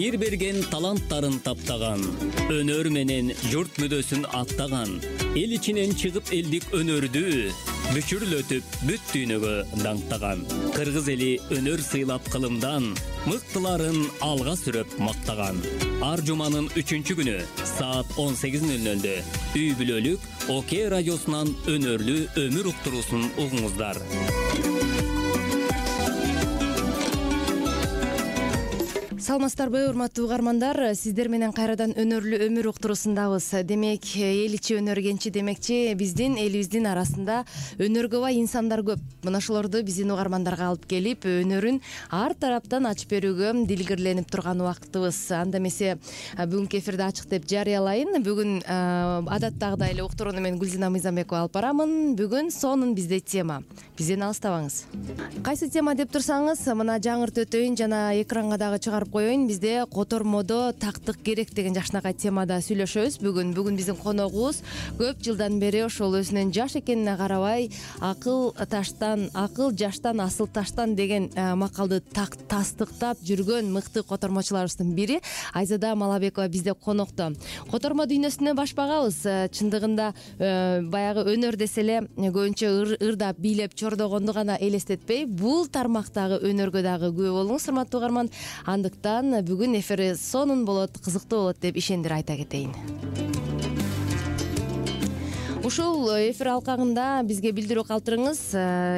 Теңир берген таланттарын таптаган, өнөр менен журт мүдөсүн аттаган, эл ичинен чыгып элдик өнөрдү бүчүрлөтүп бүт дүйнөгө даңктаган. Кыргыз эли өнөр сыйлап кылымдан, мыктыларын алга сүрөп мактаган. Ар жуманын 3-күнү саат 18:00 үй бүлөлүк ОК радиосунан өнөрлүү өмүр уктуруусун угуңуздар. Саламатсыздарбы, урматтуу угармандар, сиздер менен кайрадан өнөрлүү өмүр уктуруусундабыз. Демек, эл ичи өнөр кенчи демекчи, биздин элибиздин арасында өнөргө бай инсандар көп. Мына ошолорду биздин угармандарга алып келип, өнөрүн ар тараптан ачып берүүгө дилгирленип турган убактыбыз. Анда эмесе бүгүнкү эфирде ачык деп жарыялайын. Бүгүн адаттагыдай эле уктурууну мен Гүлзина Мыйзамбекова алып барамын. Бүгүн сонун бизде тема. Бизден алыстабаңыз. Кайсы тема деп турсаңыз, мына жаңырт өтөйүн жана экранга дагы чыгарып коеюн. Бизде котормодо тактык керек деген жакшынакай темада сүйлөшөбүз. Бүгүн биздин коногубуз көп жылдан бери ошол өзүнүн жаш экенине карабай акыл жаштан асыл таштан деген макалды тастыктап жүргөн мыкты котормочуларыбыздын бири Айзада Малабекова бизде конокто. Котормо дүйнөсүнө баш багабыз. Чындыгында баягы өнөр десе эле көбүнчө ырдап, бийлеп, чордогонду гана элестетпей, бул тармактагы өнөргө дагы күбө болуңуз, урматтуу угарман. Андыктан бүгүн эфир сонун болот, кызыктуу болот деп ишендир айта кетейин. Ушул эфир алкагында бизге билдирүү калтырыңыз.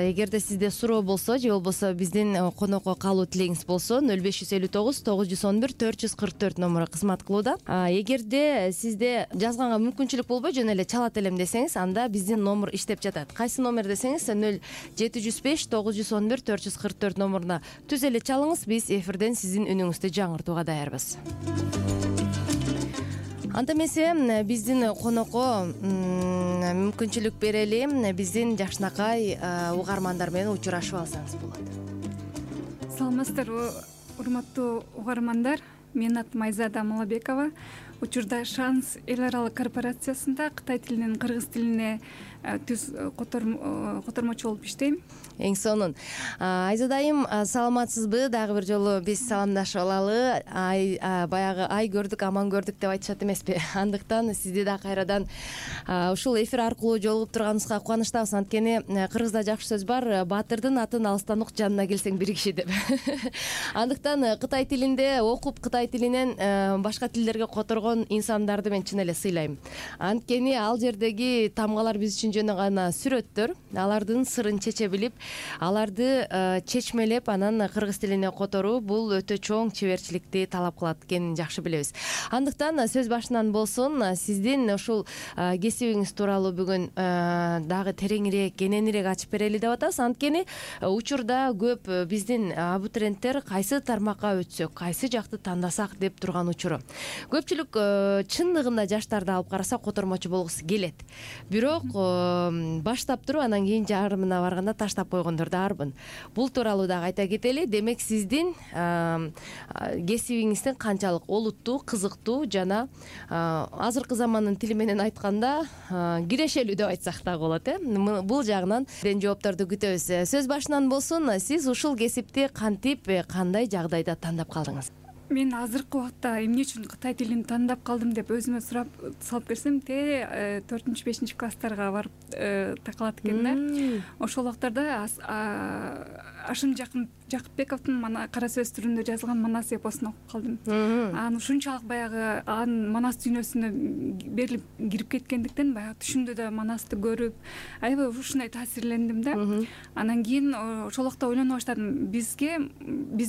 Эгерде сизде суроо болсо же болбосо биздин конокко калуу тилегиңиз болсо 0559 911 444 номуру кызмат кылууда. Эгерде сизде жазганга мүмкүнчүлүк болбой жөн эле чалат элем десеңиз, анда биздин номер иштеп жатат. Кайсы номер десеңиз 0705 911 444 номуруна түз эле чалыңыз, биз эфирден сиздин үнүңүздү жаңыртууга даярбыз. Анда эмесе биздин конокко мүмкүнчүлүк берели, биздин жакшынакай угармандар менен учурашып алсаңыз болот. Саламатсыздарбы, урматтуу угармандар. Менин атым Айзада Малабекова. Учурда Шанс эл аралык корпорациясында Кытай тилинен кыргыз тилине түз котормочу болуп иштейм. Эң сонун. Айзадайым, саламатсызбы? Дагы бир жолу биз саламдашып алалы. Баягы ай көрдүк, аман көрдүк деп айтышат эмеспи? Андыктан сизди да кайрадан ушул эфир аркылуу жолугуп турганыбызга кубанычтабыз. Анткени кыргызда жакшы сөз бар, баатырдын атын алыстан ук, жанына келсең бир киши деп. Андыктан Кытай тилинде окуп, Кытай тилинен башка тилдерге которгон инсандарды мен чын эле сыйлайм. Анткени ал жердеги тамгалар биз үчүн жөн гана сүрөттөр. Алардын сырын чече билип, аларды чечмелеп, анан кыргыз тилине которуу бул өтө чоң чеберчиликти талап кылат экенин жакшы билебиз. Андыктан сөз башынан болсун, сиздин ушул кесибиңиз тууралуу бүгүн дагы тереңирээк, кененирээк ачып берели деп атабыз. Анткени учурда көп биздин абитуриенттер кайсы тармакка өтсөк, кайсы жакты тандасак деп турган учуру. Көпчүлүк чындыгында жаштарды алып караса котормочу болгусу келет. Бирок баштап туруп анан кийин жарымына барганда таштап койгондор да арбын. Бул тууралуу дагы айта кетели. Демек сиздин кесибиңиздин канчалык олуттуу, кызыктуу жана азыркы замандын тили менен айтканда кирешелүү деп айтсак дагы болот, бул жагынан жоопторду күтөбүз. Сөз башынан болсун, сиз ушул кесипти кантип, кандай жагдайда тандап калдыңыз? Мен азыркы убакта эмне үчүн Кытай тилин тандап калдым деп өзүмө сурап салып берсем, 4-5 класстарга барып такалат экен да. Ошол убактарда Ашым Жакыпбековдун кара сөз түрүндө жазылган Манас эпосун окуп калдым. Анан ушунчалык баягы Манас дүйнөсүнө берилип кирип кеткендиктен баягы түшүмдө да Манасты көрүп, аябай ушундай таасирлендим да. Анан кийин ошол убакта ойлоно баштадым. Биз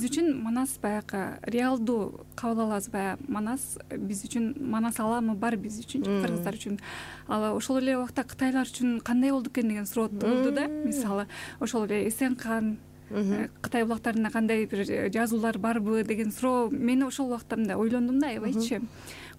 үчүн Манас баягы реалдуу кабыл алабыз, баягы Манас биз үчүн, Манас аламы бар биз үчүн, кыргыздар үчүн. Ал ошол эле убакта кытайлар үчүн кандай болду экен деген суроо туулду да. Мисалы, ошол эле Эсенкан Кытай булактарында кандай бир жазуулар барбы деген суроо мени ошол убакта мындай ойлондум да, аябайчы.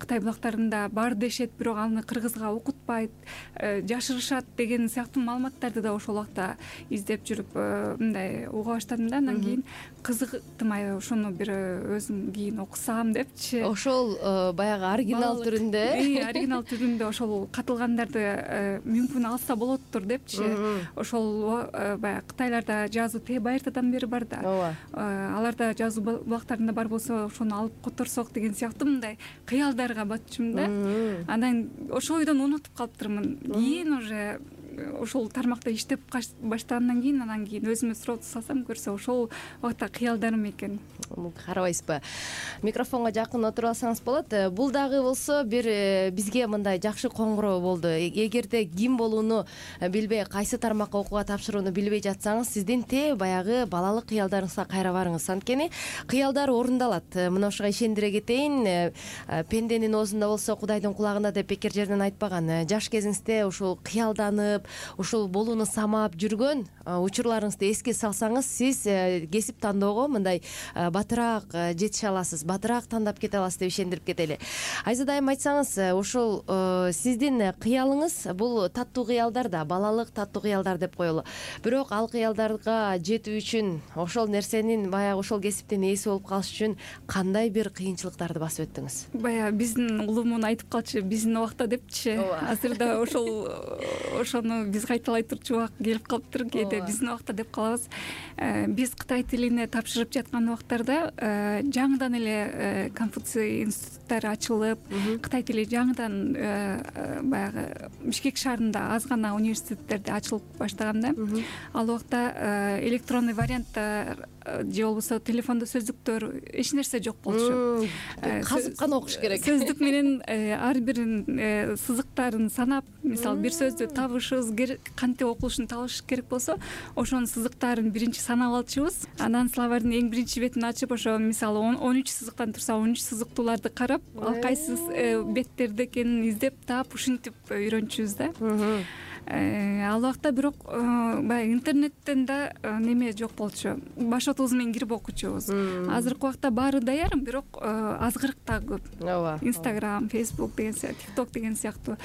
Кытай булактарында бар дешет, бирок аны кыргызга окутпайт, жашырышат деген сыяктуу маалыматтарды да ошол убакта издеп жүрүп мындай уга баштадым да. Анан кийин кызыктым, аябай ошону бир өзүм кийин окусам депчи. Ошол баягы оригинал түрүндө, оригинал түрүндө ошол катылгандарды мүмкүн алса болоттур депчи. Ошол баягы Кытайларда жазуу Т. кайертадан бери бар да. ооба. Аларда жазуу булактарында бар болсо ошону алып которсок деген сыяктуу мындай кыялдарга батчумун да. Анан ошол ойдон унутуп калыптырмын. Кийин уже ошол тармакта иштеп баштагандан кийин анан кийин өзүмө суроо салсам көрсө ошол убакта кыялдарым экен. Карабайсызбы? Микрофонго жакын отуруп алсаңыз болот. Бул дагы болсо бир бизге мындай жакшы коңгуроо болду. Эгерде ким болууну билбей, кайсы тармакка окууга тапшырууну билбей жатсаңыз, сиздин баягы балалык кыялдарыңызга кайра барыңыз. Анткени кыялдар орундалат. Мына ошого ишендире кетейин. Пенденин оозунда болсо Кудайдын кулагында деп бекер жерден айтпаган. Жаш кезиңизде ушул кыялданып, ушул болууну самаап жүргөн учурларыңызды эске салсаңыз, сиз кесип тандоого мындай батыраак жетише аласыз, батыраак тандап кете аласыз деп ишендирип кетели. Айзада айым, айтсаңыз, ушул сиздин кыялыңыз бул таттуу кыялдар да, балалык таттуу кыялдар деп коелу. Бирок ал кыялдарга жетүү үчүн, ошол нерсенин баягы ошол кесиптин ээси болуп калыш үчүн кандай бир кыйынчылыктарды басып өттүңүз? Баягы биздин улуумун айтып калчу, биздин убакта депчи. Азырда ошону биз кайталай турчу убак келип калыптыр. Кээде биздин убакта деп калабыз. Биз Кытай тилине тапшырып жаткан убактарда жаңыдан эле Конфуций институттары ачылып, Кытай тили жаңыдан баягы Бишкек шаарында аз гана университеттерде ачылып баштаганда, ал убакта электронный варианттар же болбосо телефондо сөздүктөр эч нерсе жок болчу. Казып гана окуш керек. Сөздүк менен ар биринин сызыктарын санап, мисалы бир сөздү табышыбыз кантип окулушун табыш керек болсо, ошонун сызыктарын биринчи санап алчубуз. Анан словардын эң биринчи бетин ачып, ошо мисалы 13 сызыктан турса, 13 сызыктууларды карап, ал кайсы беттерде экенин издеп таап, ушинтип үйрөнчүбүз да. Ал убакта бирок баягы интернеттен да неме жок болчу. Башотубуз менен кирип окучубуз. Азыркы убакта баары даяр, бирок азгырык да көп. Ооба. Instagram, Facebook деген сыяктуу, TikTok деген сыяктуу.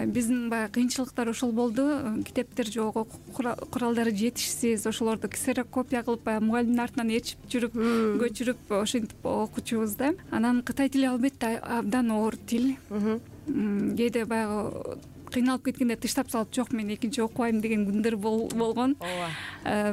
Биздин баягы кыйынчылыктар ошол болду. Китептер жок, окуу куралдары жетишсиз. Ошолорду ксерокопия кылып, баягы мугалимдин артынан ээрчип жүрүп, көчүрүп, ошентип окучубуз да. Анан Кытай тили албетте абдан оор тил. Кээде баягы кыйналып кеткенде тыштап салып, жок, мен экинчи окубайм деген күндөр болгон.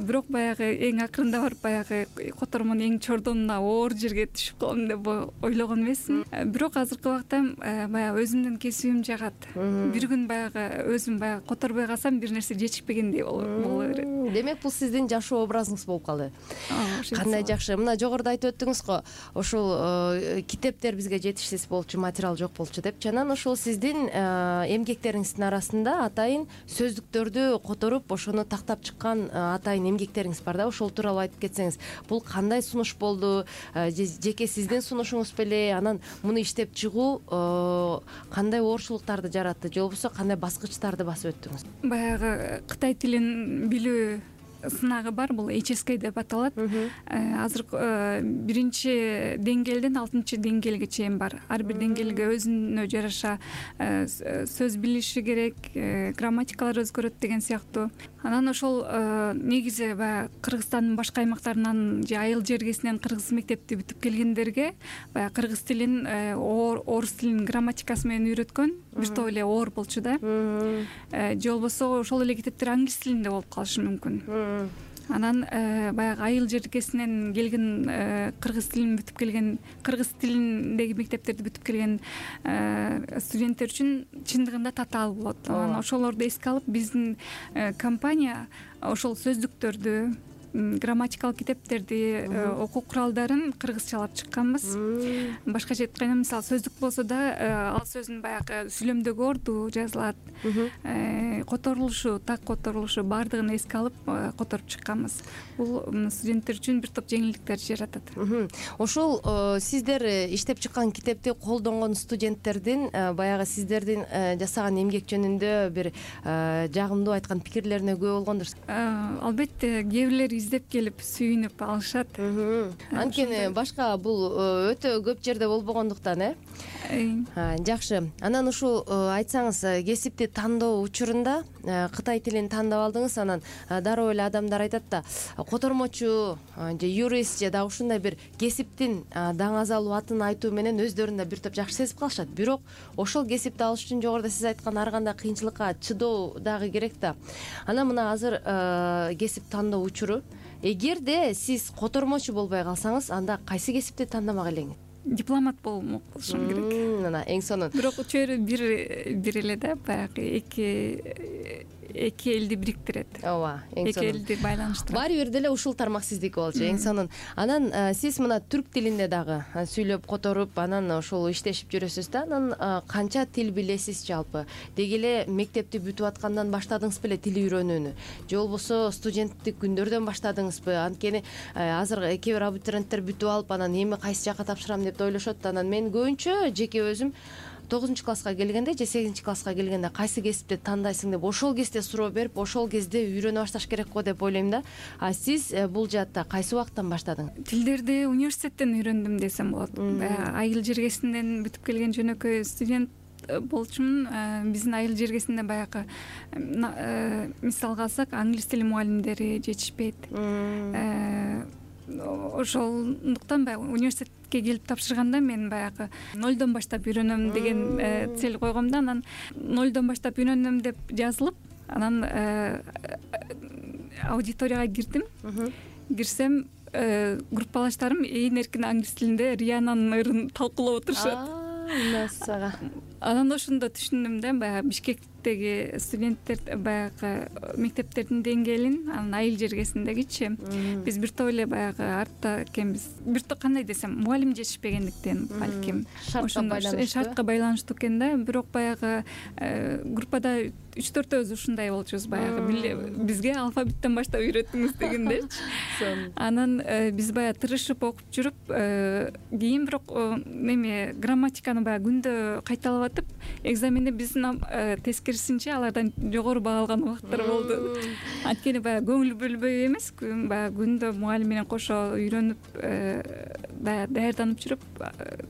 Бирок баягы эң акырында барып, баягы котормонун эң чордонуна оор жерге түшүп калам деп ойлогон эмесмин. Бирок азыркы убакта баягы өзүмдүн кесибим жагат. Бир күн баягы өзүм баягы которбой калсам, бир нерсе жетишпегендей боло берет. Демек, бул сиздин жашоо образыңыз болуп калды. Кандай жакшы. Мына жогоруда айтып өттүңүз го, ошол китептер бизге жетишсиз болчу, материал жок болчу деп. Анан ошол сиздин эмгектериңиздин арасында атайын сөздүктөрдү которуп, ошону тактап чыккан атайын эмгектериңиз бар да. Ошол тууралуу айтып кетсеңиз, бул кандай сунуш болду? Жеке сиздин сунушуңуз беле? Анан муну иштеп чыгуу кандай оорчулуктарды жаратты, же болбосо кандай баскычтарды басып өттүңүз? Баягы Кытай тилин билүү сынагы бар, бул HSK деп аталат. Азыр биринчи деңгээлден 6-чы деңгээлге чейин бар. Ар бир деңгээлге өзүнө жараша сөз билиши керек, грамматикалар өзгөрөт деген сыяктуу. Анан ошол негизи баягы Кыргызстандын башка аймактарынан же айыл жергесинен кыргыз мектепти бүтүп келгендерге баягы кыргыз тилин, орус тилинин грамматикасы менен үйрөткөн, бир топ эле оор болчу да. Же болбосо ошол эле китептер англис тилинде болуп калышы мүмкүн. Анан баягы айыл жергесинен келген, кыргыз тилин бүтүп келген, кыргыз тилиндеги мектептерди бүтүп келген студенттер үчүн чындыгында татаал болот. Анан ошолорду эске алып, биздин компания ошол сөздүктөрдү, грамматикалык китептерди, окуу куралдарын кыргызчалап чыкканбыз. Башкача айтканда, мисалы сөздүк болсо да, ал сөздүн баягы сүйлөмдөгү орду жазылат, которулушу, так которулушу баардыгын эске алып которуп чыкканбыз. Бул студенттер үчүн бир топ жеңилдиктер жаратат. Ошол сиздер иштеп чыккан китепти колдонгон студенттердин баягы сиздердин жасаган эмгек жөнүндө бир жагымдуу айткан пикирлерине күбө болгондур. Албетте, кээ бирлери издеп келип сүйүнүп алышат. Анткени башка бул өтө көп жерде болбогондуктан, жакшы. Анан ушул айтсаңыз, кесипти тандоо учурунда Кытай тилин тандап алдыңыз, анан дароо эле адамдар айтат да, котормочу же юрист же да ушундай бир кесиптин даңазалуу атын айтуу менен өздөрүн да бир топ жакшы сезип калышат. Бирок ошол кесипти алыш үчүн жогоруда сиз айткан ар кандай кыйынчылыкка чыдоо дагы керек да. Анан мына азыр кесип тандоо учуру эгерде сиз котормочу болбой калсаңыз, анда кайсы кесипти тандамак элеңиз? Дипломат болушум керек. Мына эң сонун. Бирок чөйрө бир эле да, баягы эки элди бириктирет. Ооба, эң сонун. Эки элди байланыштырат. Баары бир деле ушул тармак сиздики болчу, эң сонун. Анан сиз мына түрк тилинде дагы сүйлөп которуп, анан ошол иштешип жүрөсүз да. Анан канча тил билесиз жалпы? Деги эле мектепти бүтүп аткандан баштадыңыз беле тил үйрөнүүнү? Же болбосо студенттик күндөрдөн баштадыңызбы? Анткени азыр кээ бир абитуриенттер бүтүп алып, анан эми кайсы жака тапшырам деп ойлошот. Анан мен көбүнчө жеке өзүм 9 класска келгенде же 8 класска келгенде кайсы кесипти тандайсың деп ошол кезде суроо берип, ошол кезде үйрөнө башташ керек го деп ойлойм да. А сиз бул жаатта кайсы убакыттан баштадыңыз? Тилдерди университеттен үйрөндүм десем болот. Айыл жергесинден бүтүп келген жөнөкөй студент болчумун. Биздин айыл жергесинде баягы мисалга алсак, англис тили мугалимдери жетишпейт. Ошондуктан баягы университетке келип тапшырганда мен баягы нолдон баштап үйрөнөм деген цель койгом да. Анан нолдон баштап үйрөнөм деп жазылып, анан аудиторияга кирсем, группалаштарым ээн эркин англис тилинде Риананын ырын талкуулап отурушат. Насага. Анан ошондо түшүндүм да, баягы Бишкектеги студенттер баягы мектептердин деңгээлин, анан айыл жергесиндегичи биз бир топ эле баягы артта экенбиз. Бир топ кандай десем, мугалим жетишпегендиктен балким шартка байланыштуу экен да. Бирок баягы группада 3-4 ушундай болчубуз, баягы бизге алфавиттен баштап үйрөтүңүз дегендерчи. Анан биз баягы тырышып окуп жүрүп, кийин бирок неме грамматиканы баягы күндө кайталап атып, экзаменде биздин тескерисинче алардан жогору баа алган убакыттар болду. Анткени баягы көңүл бөлбөй эмес, баягы күндө мугалим менен кошо үйрөнүп, даярданып жүрүп,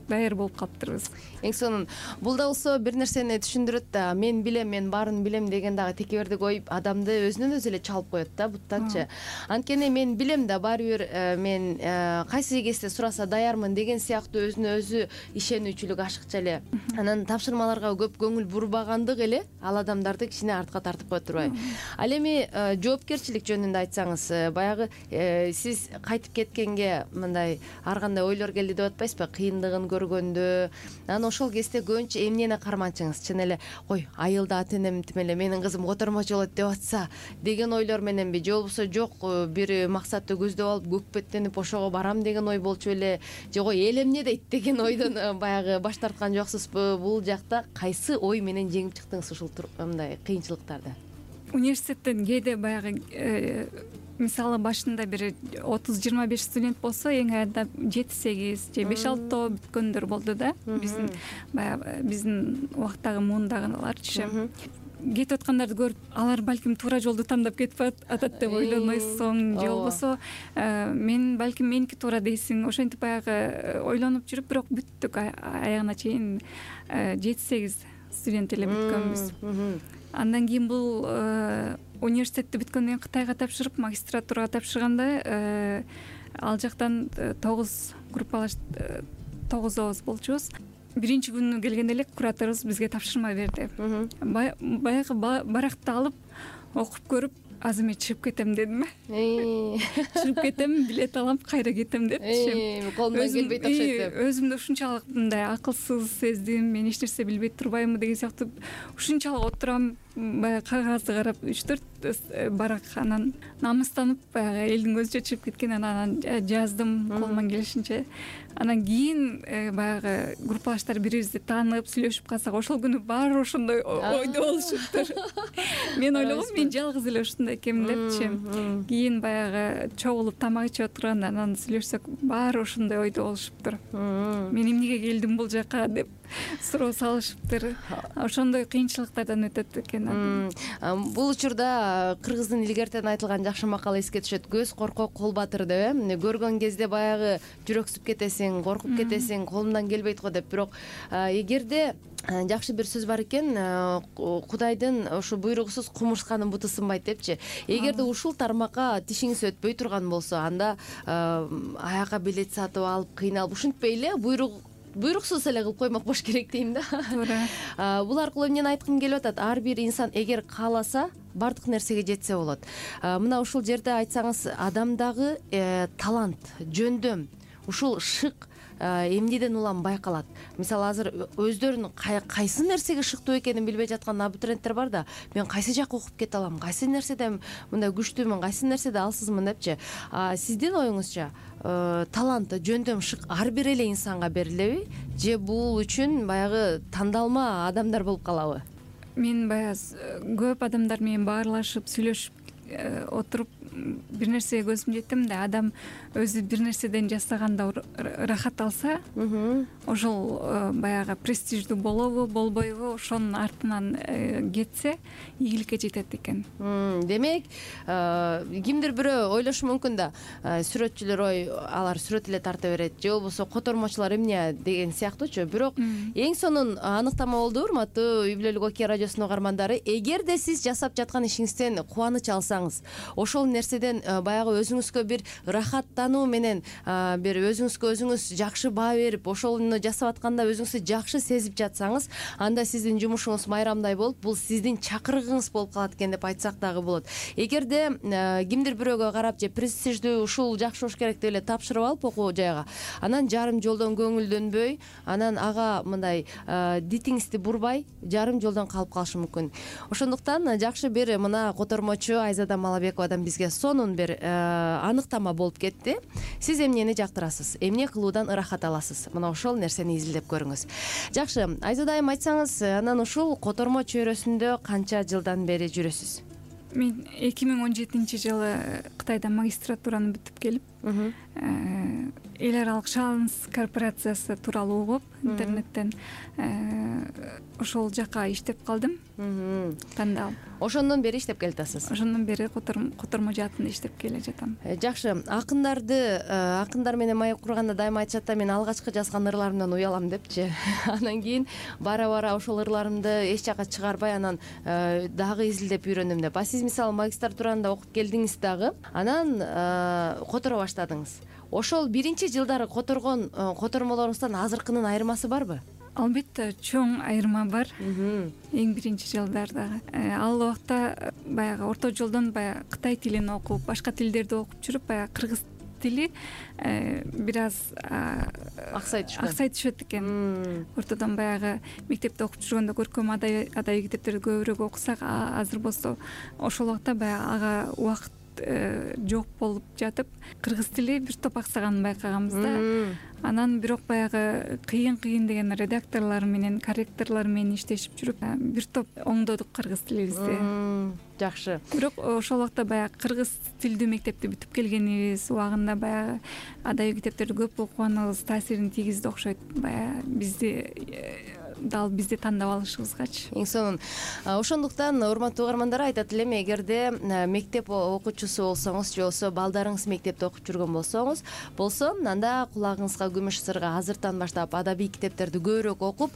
даяр болуп калыптырбыз. Эң сонун. Бул да болсо бир нерсени түшүндүрөт да. Мен билем, мен баарын билем деген дагы текебердик ой адамды өзүнөн өзү эле чалып коет да, буттанчы. Анткени мен билем да, баары бир мен кайсы кезде сураса даярмын деген сыяктуу өзүнө өзү ишенүүчүлүк ашыкча эле. Анан тапшырмаларга көп көңүл бурбагандык эле ал адамдарды кичине артка тартып коет турбайбы? Ал эми жоопкерчилик жөнүндө айтсаңыз, баягы сиз кайтып кеткенге мындай ар кандай ойлор келди деп атпайсызбы? Кыйындыгын көргөндө, анан ошол кезде көбүнчө эмнени карманчыңыз? Чын эле, ой, айылда ата энем тим эле менин кызым котормочу болот деп атса деген ойлор мененби? Же болбосо жок, бир максатты көздөп алып көкпеттенип ошого барам деген ой болчу эле? Же ой, эл эмне дейт деген ойдон баягы баш тарткан жоксузбу? Бул жакта кайсы ой менен жеңип чыктыңыз ушул мындай кыйынчылыктарды? Университеттен кээде баягы мисалы башында бир 30-25 студент болсо, эң аянда 7-8 же 5-6 бүткөндөр болду да. Биздин убактагы муундагыларчы. Кетип аткандарды көрүп, алар балким туура жолду тандап кетип атат деп ойлонойсуң, же болбосо мен балким меники туура дейсиң. Ошентип баягы ойлонуп жүрүп, бирок бүттүк аягына чейин 7-8 студент эле бүткөнбүз. Андан кийин бул университетти бүткөндөн кийин Кытайга тапшырып, магистратурага тапшырганда ал жактан 9 группалаш 9 болчубуз. Биринчи күнү келгенде эле кураторубуз бизге тапшырма берди. Баягы баракты алып окуп көрүп, азыр мен чыгып кетем дедим. Чыгып кетем, билет алам, кайра кетем депчи. Колумдан келбей окшойт деп. Өзүмдү ушунчалык мындай акылсыз сездим, мен эч нерсе билбей турбаймынбы деген сыяктуу ушунчалык отурам, баягы кагазды карап 3-4 барак, анан намыстанып баягы элдин көзүнчө чыгып кеткен, анан жаздым колуман келишинче. Анан кийин баягы группалаштар бирибизди таанып, сүйлөшүп калсак, ошол күнү баары ошондой ойдо болушуптур. Мен ойлогом, мен жалгыз эле ушундай экенмин депчи. Кийин баягы чогулуп тамак ичип отурганда, анан сүйлөшсөк, баары ошондой ойдо болушуптур. Мен эмнеге келдим бул жака деп суроо салышыптыр. Ошондой кыйынчылыктардан өтөт экен. Бул учурда кыргыздын илгертен айтылган жакшы макал эске түшөт. Көз коркок, кол батыр деп, көргөн кезде баягы жүрөксүп кетесиң, коркуп кетесиң, колумдан келбейт го деп. Бирок эгерде жакшы бир сөз бар экен, Кудайдын ушу буйругусуз кумурсканын буту сынбайт депчи. Эгерде ушул тармакка тишиңиз өтпөй турган болсо, анда аяка билет сатып алып, кыйналып, ушинтпей эле буйруксуз эле кылып коймок болуш керек дейм да. Туура. Бул аркылуу эмнени айткым келип атат? Ар бир инсан эгер кааласа, баардык нерсеге жетсе болот. Мына ушул жерде айтсаңыз, адамдагы талант, жөндөм, ушул шык эмнеден улам байкалат? Мисалы азыр өздөрүнүн кайсы нерсеге шыктуу экенин билбей жаткан абитуриенттер бар да, мен кайсы жакка окуп кете алам, кайсы нерседе мындай күчтүүмүн, кайсы нерседе алсызмын депчи. Сиздин оюңузча талант, жөндөм, шык ар бир эле инсанга берилеби, же бул үчүн баягы тандалма адамдар болуп калабы? Мен баягы көп адамдар менен баарлашып сүйлөшүп отуруп бир нерсеге көзүм жетти. Мындай адам өзү бир нерседен жасаганда ырахат алса, ошол баягы престиждүү болобу, болбойбу, ошонун артынан кетсе ийгиликке жетет экен. Демек, кимдир бирөө ойлошу мүмкүн да, сүрөтчүлөр алар сүрөт эле тарта берет, же болбосо котормочулар эмне деген сыяктуучу. Бирок эң сонун аныктама болду, урматтуу Үй бүлөлүк Океан радиосунун угармандары. Эгерде сиз жасап жаткан ишиңизден кубаныч алсаңыз, ошол нерседен баягы өзүңүзгө бир ырахаттануу менен, бир өзүңүзгө өзүңүз жакшы баа берип, ошону жасап атканда өзүңүздү жакшы сезип жатсаңыз, анда сиздин жумушуңуз майрамдай болуп, бул сиздин чакырыгыңыз болуп калат экен деп айтсак дагы болот. Эгерде кимдир бирөөгө карап же престиждүү ушул жакшы болуш керек деп эле тапшырып алып окуу жайга, анан жарым жолдон көңүлдөнбөй, анан ага мындай дитиңизди бурбай, жарым жолдон калып калышы мүмкүн. Ошондуктан жакшы бир мына котормочу Айзада Малабековадан бизге сонун бир аныктама болуп кетти. Сиз эмнени жактырасыз, эмне кылуудан ырахат аласыз? Мына ошол нерсени изилдеп көрүңүз. Жакшы, Айзада айым, айтсаңыз, анан ушул котормо чөйрөсүндө канча жылдан бери жүрөсүз? Мен 2017-жылы Кытайда магистратураны бүтүп келип, эл аралык шалыс корпорациясы тууралуу угуп, интернеттен ошол жака иштеп калдым. Тандалып. Ошондон бери иштеп келатасыз? Ошондон бери котормо жаатында иштеп келе жатам. Жакшы. Акындар менен маек курганда дайыма айтышат да, мен алгачкы жазган ырларымдан уялам депчи. Анан кийин бара ошол ырларымды эч жака чыгарбай, анан дагы изилдеп үйрөндүм деп. Сиз мисалы магистратуранда окуп келдиңиз дагы, анан которо баштадыңыз. Ошол биринчи жылдары которгон котормолоруңуздан азыркынын айырмасы барбы? Албетте, чоң айырма бар. Эң биринчи жылдардагы. Ал убакта баягы орто жолдон баягы Кытай тилин окуп, башка тилдерди окуп жүрүп, баягы кыргыз тили бир аз аксай түшөт экен. Ортодон баягы мектепте окуп жүргөндө көркөм адабий китептерди көбүрөөк окусак, азыр болсо ошол убакта баягы ага убакыт жок болуп жатып, кыргыз тили бир топ аксаганын байкаганбыз да. Анан бирок баягы кыйын деген редакторлор менен, корректорлор менен иштешип жүрүп, бир топ оңдодук кыргыз тилибизди. Жакшы. Бирок ошол убакта баягы кыргыз тилдүү мектепти бүтүп келгенибиз, убагында баягы адабий китептерди көп окуганыбыз таасирин тийгизди окшойт. Баягы бизди тандап алышыбызгачы. Эң сонун. Ошондуктан урматтуу угармандар, айтат элем, эгерде мектеп окуучусу болсоңуз, же болбосо балдарыңыз мектепте окуп жүргөн болсо, анда кулагыңызга күмүш сырга азыртан баштап адабий китептерди көбүрөөк окуп,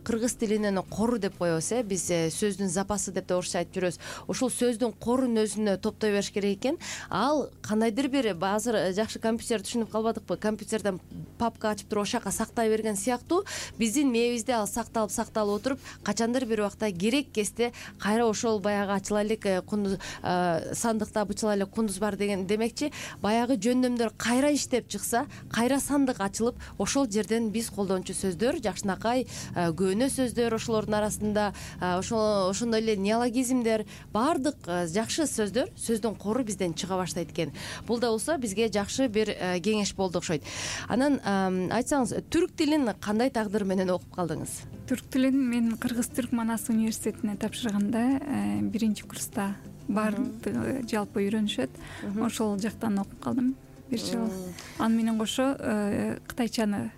кыргыз тилинин кору деп коебуз, биз сөздүн запасы деп да орусча айтып жүрөбүз. Ушул сөздүн корун өзүнө топтой бериш керек экен. Ал кандайдыр бир, азыр жакшы компьютер түшүнүп калбадыкпы, компьютерден папка ачып туруп ошака сактай берген сыяктуу, биздин мээбизде ал сакталып отуруп, качандыр бир убакта керек кезде кайра ошол баягы ачыла элек сандыкта бычыла элек кундуз бар деген демекчи, баягы жөндөмдөр кайра иштеп чыкса, кайра сандык ачылып, ошол жерден биз колдончу сөздөр, жакшынакай көөнө сөздөр, ошолордун арасында ошондой эле неологизмдер, баардык жакшы сөздөр, сөздүн кору бизден чыга баштайт экен. Бул да болсо бизге жакшы бир кеңеш болду окшойт. Анан айтсаңыз, түрк тилин кандай тагдыр менен окуп калдыңыз? Түрк тилин мен Кыргыз-Түрк Манас университетине тапшырганда, биринчи курста баардыгы жалпы үйрөнүшөт. Ошол жактан окуп калдым бир жыл. Аны менен кошо кытайчаны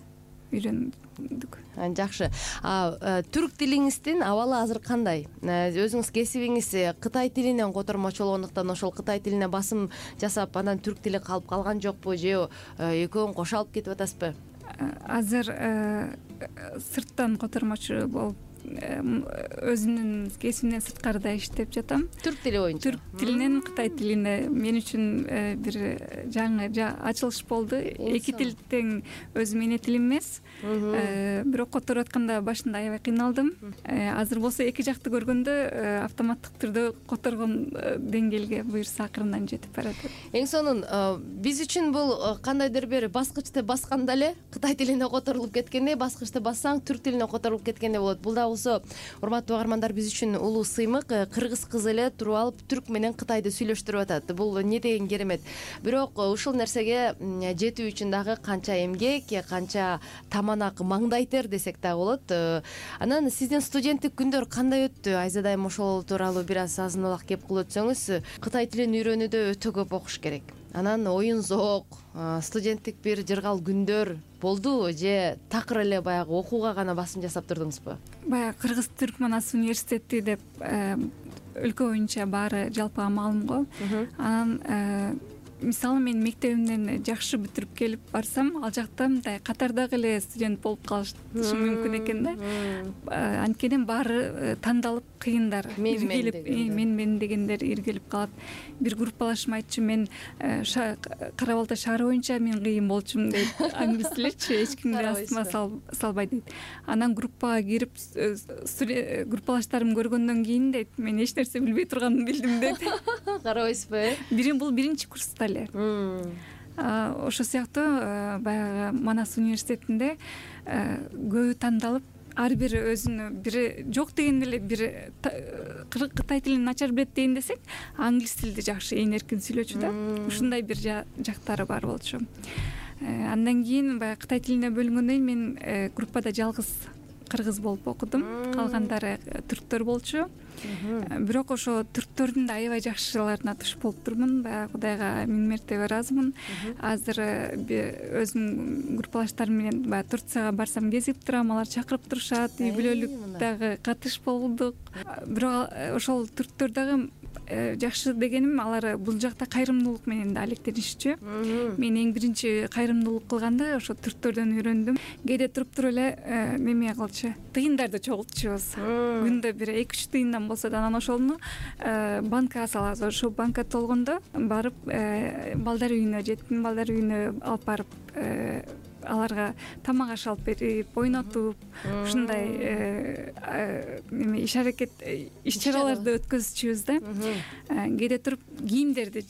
үйрөндүк. Жакшы. Түрк тилиңиздин абалы азыр кандай? Өзүңүз кесибиңиз Кытай тилинен котормочу болгондуктан ошол Кытай тилине басым жасап, анан түрк тили калып калган жокпу, же экөөнү кошо алып кетип атасызбы? Азыр сырттан котормочу болуп өзүмдүн кесибимден сырткарыда иштеп жатам. Түрк тили боюнча. Түрк тилинен Кытай тилине мен үчүн бир жаңы ачылыш болду. Эки тил тең өзүм эне тилим эмес. Бирок которуп атканда башында аябай кыйналдым. Азыр болсо эки жакты көргөндө автоматтык түрдө которгон деңгээлге буюрса акырындан жетип баратат. Эң сонун биз үчүн бул кандайдыр бир баскычты басканда эле Кытай тилине которулуп кеткендей, баскычты бассаң түрк тилине которулуп кеткендей болот. Бул да болсо урматтуу угармандар биз үчүн улуу сыймык. Кыргыз кыз эле туруп алып түрк менен Кытайды сүйлөштүрүп атат. Бул не деген керемет. Бирок ушул нерсеге жетүү үчүн дагы канча эмгек, канча таманак маңдай тер десек да болот. Анан сиздин студенттик күндөр кандай өттү? Айзада айым ошол тууралуу бир аз азын улак кеп кылып өтсөңүз. Кытай тилин үйрөнүүдө өтө көп окуш керек. Анан оюн зоок, студенттик бир жыргал күндөр болдубу же такыр эле баягы окууга гана басым жасап турдуңузбу? Баягы Кыргыз Түрк Манас университети деп өлкө боюнча баары жалпыга маалым го. Анан мисалы мен мектебимден жакшы бүтүрүп келип барсам, ал жакта мындай катардагы эле студент болуп калышы мүмкүн экен да. Анткени баары тандалып кыйындар, иргелип, мен дегендер иргелип калат. Бир группалашым айтчу, мен Кара Балта шаары боюнча мен кыйын болчумун дейт. Англис тиличи эч кимди астыма салбай дейт. Анан группага кирип группалаштарым көргөндөн кийин дейт, мен эч нерсе билбей турганымды билдим дейт. Карабайсызбы, Бул биринчи курста эле. Ошо сыяктуу баягы Манас университетинде көбү тандалып, ар бири өзүнө бири жок дегенде эле бири Кытай тилин начар билет дейин десек, англис тилди жакшы ээн эркин сүйлөчү да. Ушундай бир жактары бар болчу. Андан кийин баягы Кытай тилине бөлүнгөндөн кийин мен группада жалгыз кыргыз болуп окудум. Калгандары түрктөр болчу. Бирок ошо түрктөрдүн да аябай жакшыларына туш болуп турмун. Баягы Кудайга миң мертебе ыраазымын. Азыр өзүмдүн группалаштарым менен баягы Турцияга барсам кезип турам, алар чакырып турушат, үй бүлөлүк дагы катыш болдук. Бирок ошол түрктөр дагы жакшы дегеним, алар бул жакта кайрымдуулук менен да алектенишчү. Мен эң биринчи кайрымдуулук кылганды ошо түрктөрдөн үйрөндүм. Кээде туруп эле неме кылчу, тыйындарды чогултчубуз. Күндө бир 2-3 тыйындан болсо да, анан ошону банкага салабыз. Ошо банка толгондо барып балдар үйүнө, жетим балдар үйүнө алып барып аларга тамак аш алып берип, ойнотуп, ушундай иш аракет, иш чараларды өткөзчүбүз да. Кээде туруп кийимдерди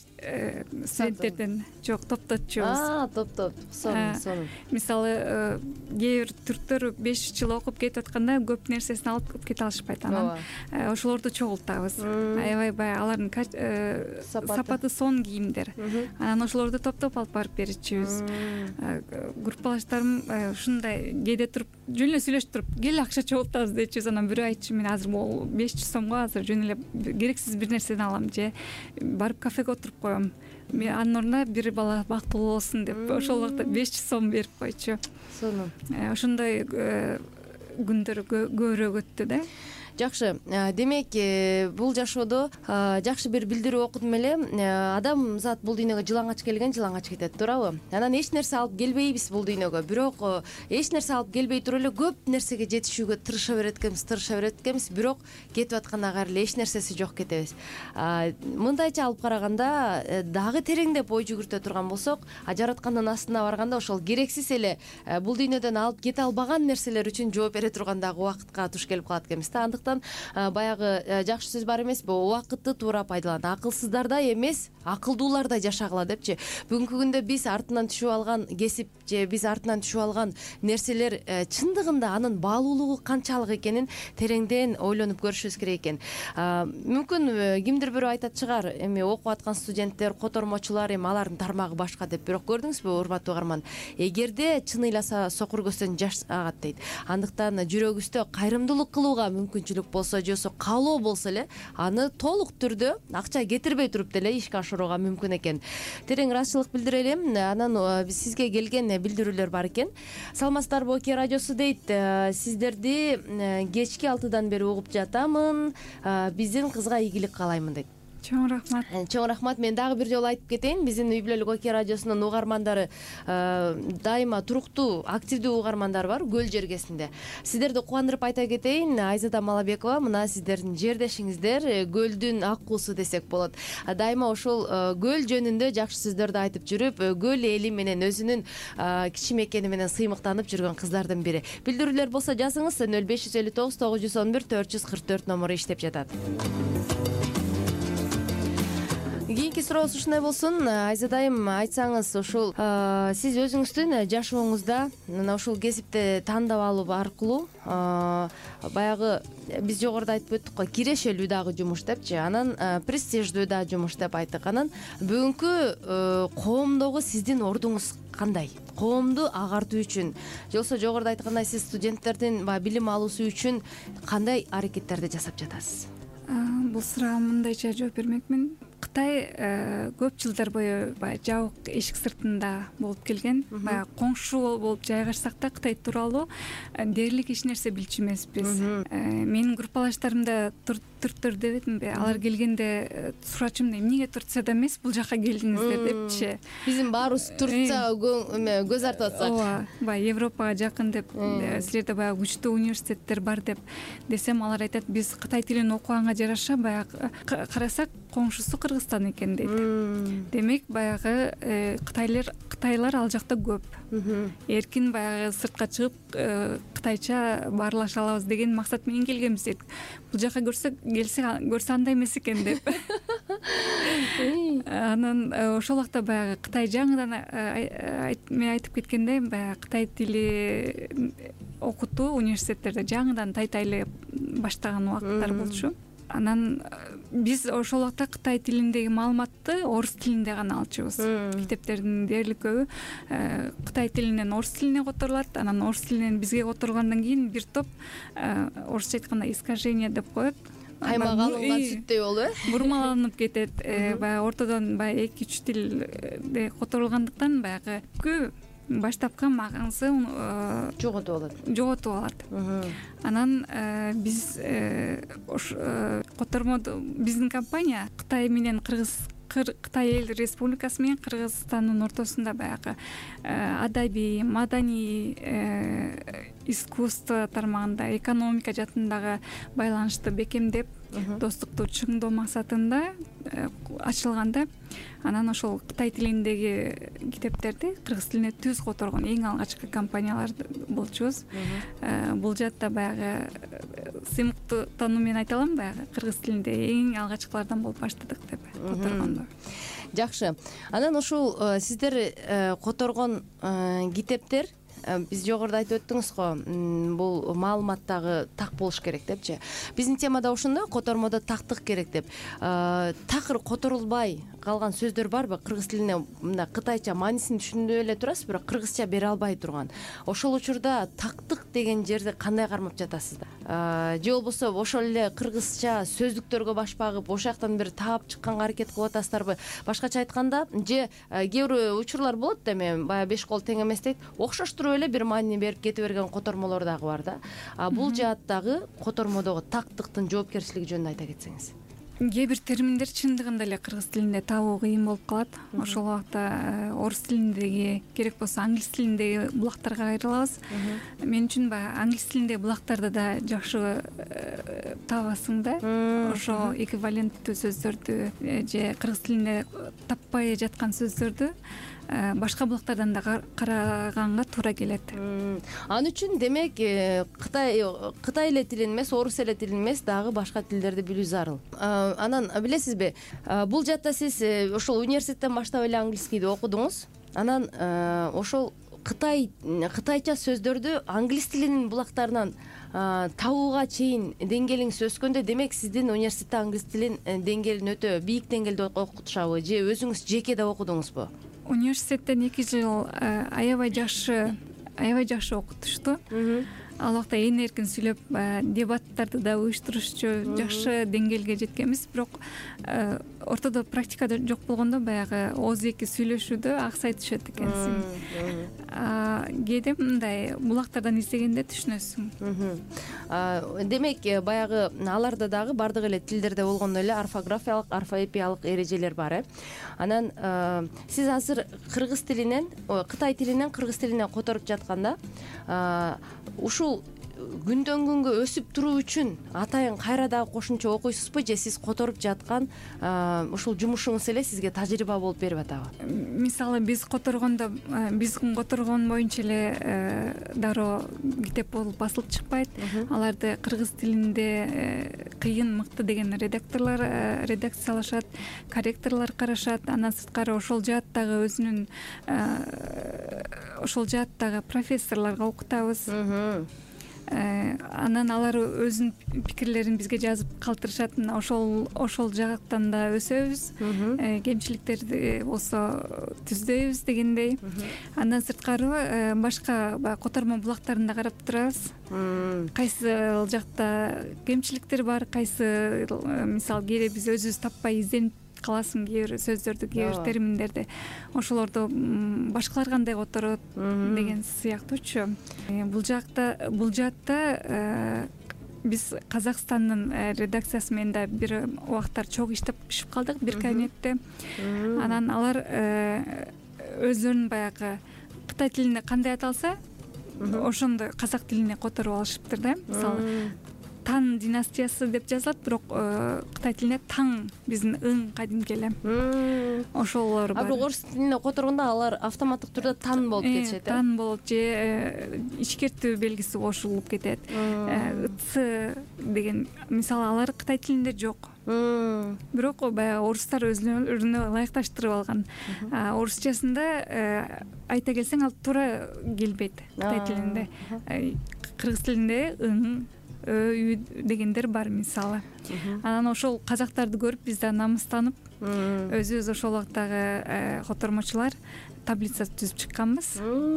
студенттерден топтотчубуз. Топтоп. Сонун. Мисалы, кээ бир түрктөр 5 жыл окуп кетип атканда көп нерсесин алып кете алышпайт. Анан ошолорду чогултабыз. Аябай баягы алардын сапаты сонун кийимдер. Анан ошолорду топтоп алып барып берчүбүз. Группалаштарым ушундай кээде туруп жөн эле сүйлөшүп туруп, кел акча чогултабыз дечүбүз. Анан бирөө айтчу, мен азыр могул 500 сомго азыр жөн эле керексиз бир нерседен алам же барып кафеге отуруп коем. Мен анын ордуна бир бала бактылуу болсун деп ошол убакта 500 сом берип койчу. Сонун. Ошондой күндөр көбүрөөк өттү да. Жакшы. Демек, бул жашоодо жакшы бир билдирүү окудум эле. Адам зат бул дүйнөгө жылаңач келген, жылаңач кетет, туурабы? Анан эч нерсе алып келбейбиз бул дүйнөгө. Бирок эч нерсе алып келбей туруп эле көп нерсеге жетишүүгө тырыша берет экенбиз. Бирок кетип атканда кайра эле эч нерсеси жок кетебиз. Мындайча алып караганда, дагы тереңдеп ой жүгүртө турган болсок, жараткандын астына барганда ошол керексиз эле бул дүйнөдөн алып кете албаган нерселер үчүн жооп бере турган дагы убакытка туш келип калат экенбиз да. Баягы жакшы сөз бар эмеспи? Убакытты туура пайдалан. Акылсыздардай эмес, акылдуулардай жашагыла депчи. Бүгүнкү күндө биз артынан түшүп алган кесип же биз артынан түшүп алган нерселер чындыгында анын баалуулугу канчалык экенин тереңден ойлонуп көрүшүбүз керек экен. Мүмкүн кимдир бирөө айтат чыгар, эми окуп аткан студенттер, котормочулар, эми алардын тармагы башка деп. Бирок көрдүңүзбү, урматтуу угарман, эгерде чын ыйласа сокур көздөн жаш агат дейт. Андыктан жүрөгүбүздө кайрымдуулук кылууга мүмкүнчүлүк болсо же каалоо болсо эле, аны толук түрдө акча кетирбей туруп деле ишке ашырууга мүмкүн экен. Терең ыраазычылык билдирелим. Анан сизге келген билдирүүлөр бар экен. Саламатсыздарбы, Оке радиосу дейт. Сиздерди кечки 6-дан бери угуп жатамын. Биздин кызга ийгилик каалаймын дейт. Чоң рахмат. Чоң рахмат. Мен дагы бир жолу айтып кетейин, биздин Үй бүлөлүк Оке радиосунун угармандары дайыма туруктуу, активдүү угармандар бар Көл жергесинде. Сиздерди кубандырып айта кетейин, Айзада Малабекова мына сиздердин жердешиңиздер, көлдүн аккуусу десек болот. Дайыма ошол көл жөнүндө жакшы сөздөрдү айтып жүрүп, көл эли менен өзүнүн кичимекени менен сыймыктанып жүргөн кыздардын бири. Билдирүүлөр болсо жазыңыз, 0559 911 444 номуру иштеп жатат. Кийинки сурообуз ушундай болсун. Айзадайым, айтсаңыз, ушул сиз өзүңүздүн жашооңузда мына ушул кесипти тандап алуу аркылуу баягы биз жогоруда айтып өттүк го, кирешелүү дагы жумуш депчи, анан престиждүү да жумуш деп айттык. Анан бүгүнкү коомдогу сиздин ордуңуз кандай? Коомду агартуу үчүн, же болбосо жогоруда айткандай сиз студенттердин билим алуусу үчүн кандай аракеттерди жасап жатасыз? Бул суроого мындайча жооп бермекмин. Кытай көп жылдар бою баягы жабык эшик сыртында болуп келген. Баягы коңшу болуп жайгашсак да Кытай тууралуу дээрлик эч нерсе билчү эмеспиз. Менин группалаштарым да Турктор дебедимби? Алар келгенде сурачумун, эмнеге Турцияда эмес, бул жака келдиңиздер депчи. Биздин баарыбыз Турцияга көз артып атсак. Ооба, баягы Европага жакын деп, силерде баягы күчтүү университеттер бар деп десем, алар айтат, биз Кытай тилин окуганга жараша баягы карасак коңшусу Кыргызстан экен дейт. Демек баягы Кытайлар ал жакта көп. Эркин баягы сыртка чыгып кытайча баарлаша алабыз деген максат менен келгенбиз дейт. Бул жака көрсө андай эмес экен деп. Анан ошол убакта баягы Кытай жаңыдан мен айтып кеткендей, баягы Кытай тили окутуу университеттерде жаңыдан тайтайлы баштаган убакыттар болчу. Анан биз ошол убакта Кытай тилиндеги маалыматты орус тилинде гана алчубуз. Китептердин дээрлик көбү Кытай тилинен орус тилине которулат. Анан орус тилинен бизге которулгандан кийин бир топ орусча айтканда искажение деп коет. Каймак алынган сүттөй болуп, бурмаланып кетет. Баягы ортодон баягы 2-3 тилде которулгандыктан баягы баштапкы маңызы жоготуп алат. Анан биз котормодо биздин компания Кытай менен Кытай эл республикасы менен Кыргызстандын ортосунда баягы адабий, маданий, искусство тармагында, экономика жаатындагы байланышты бекемдеп, достукту чыңдоо максатында ачылганда, анан ошол Кытай тилиндеги китептерди кыргыз тилине түз которгон эң алгачкы компаниялар болчубуз. Бул жаатта баягы сыймыктануу менен айта алам, баягы кыргыз тилинде эң алгачкылардан болуп баштадык деп которгондо. Жакшы. Анан ушул сиздер которгон китептер, биз жогоруда айтып өттүңүз го, бул маалыматтагы так болуш керек депчи. Биздин темада ошондой, котормодо тактык керек деп. Такыр которулбай калган сөздөр барбы? Кыргыз тилине мындай кытайча маанисин түшүнүп эле турасыз, бирок кыргызча бере албай турган. Ошол учурда тактык деген жерди кандай кармап жатасыздар? Же болбосо ошол эле кыргызча сөздүктөргө баш багып, ошол жактан бир таап чыкканга аракет кылып атасыздарбы? Башкача айтканда, же кээ бир учурлар болот да, эми баягы беш кол тең эмес дейт, окшоштуруп эле бир маани берип кете берген котормолор дагы бар да. Бул жааттагы котормодогу тактыктын жоопкерчилиги жөнүндө айта кетсеңиз. Кээ бир терминдер чындыгында эле кыргыз тилинде табуу кыйын болуп калат. Ошол убакта орус тилиндеги, керек болсо англис тилиндеги булактарга кайрылабыз. Мен үчүн баягы англис тилиндеги булактарды да жакшы табасың да. Ошо эквиваленттүү сөздөрдү же кыргыз тилинде таппай жаткан сөздөрдү башка булактардан да караганга туура келет. Ал үчүн демек Кытай эле тилин эмес, орус эле тилин эмес, дагы башка тилдерди билүү зарыл. Анан билесизби, бул жаатта сиз ошол университеттен баштап эле английскийди окудуңуз. Анан ошол кытайча сөздөрдү англис тилинин булактарынан табууга чейин деңгээлиңиз өскөндө, демек сиздин университетте англис тилин деңгээлин өтө бийик деңгээлде окутушабы, же өзүңүз жеке да окудуңузбу? Университеттен 2 жыл аябай жакшы окутушту. Ал убакта ээн эркин сүйлөп, дебаттарды да уюштурушчу, жакшы деңгээлге жеткенбиз. Бирок ортодо практикада жок болгондо баягы ооз эки сүйлөшүүдө аксай түшөт экенсиң. Кээде мындай булактардан издегенде түшүнөсүң. Демек баягы аларда дагы бардык эле тилдерде болгондой эле орфографиялык, орфоэпиялык эрежелер бар. Анан сиз азыр кыргыз тилинен, кытай тилинен кыргыз тилине которуп жатканда ушул күндөн күнгө өсүп туруу үчүн атайын кайра дагы кошумча окуйсузбу же сиз которуп жаткан ушул жумушуңуз эле сизге тажрыйба болуп берип атабы? Мисалы биз которгон боюнча эле дароо китеп болуп басылып чыкпайт. Аларды кыргыз тилинде кыйын, мыкты деген редакциялашат, корректорлор карашат. Андан сырткары ошол жааттагы өзүнүн профессорлорго окутабыз. Анан алар өзүнүн пикирлерин бизге жазып калтырышат. Ошол жактан да өсөбүз. Кемчиликтерди болсо түздөйбүз дегендей. Андан сырткары башка котормо булактарын да карап турабыз. Кайсы жакта кемчиликтер бар, кайсы мисалы кээде биз өзүбүз таппай изденип каласың кээ бир сөздөрдү, кээ бир терминдерди. Ошолорду башкалар кандай которот деген сыяктуучу. Бул жаатта биз Казакстандын редакциясы менен да бир убактар чогуу иштешип калдык бир кабинетте. Анан алар өздөрүнүн баягы кытай тилинде кандай аталса, ошондой казак тилине которуп алышыптыр да. Мисалы Тан династиясы деп жазылат, бирок кытай тилинде таң, биздин ың кадимки эле. Ошолор бар. Бирок орус тилине которгондо алар автоматтык түрдө тан болуп кетишет. Тан болот же ичкертүү белгиси кошулуп кетет. Ц деген мисалы алар кытай тилинде жок. Бирок баягы орустар өзүнө ылайыкташтырып алган. Орусчасында айта келсең ал туура келбейт кытай тилинде. Кыргыз тилинде ың, дегендер бар мисалы. Анан ошол казактарды көрүп биз да намыстанып, өзүбүз ошол убактагы котормочулар таблица түзүп чыкканбыз.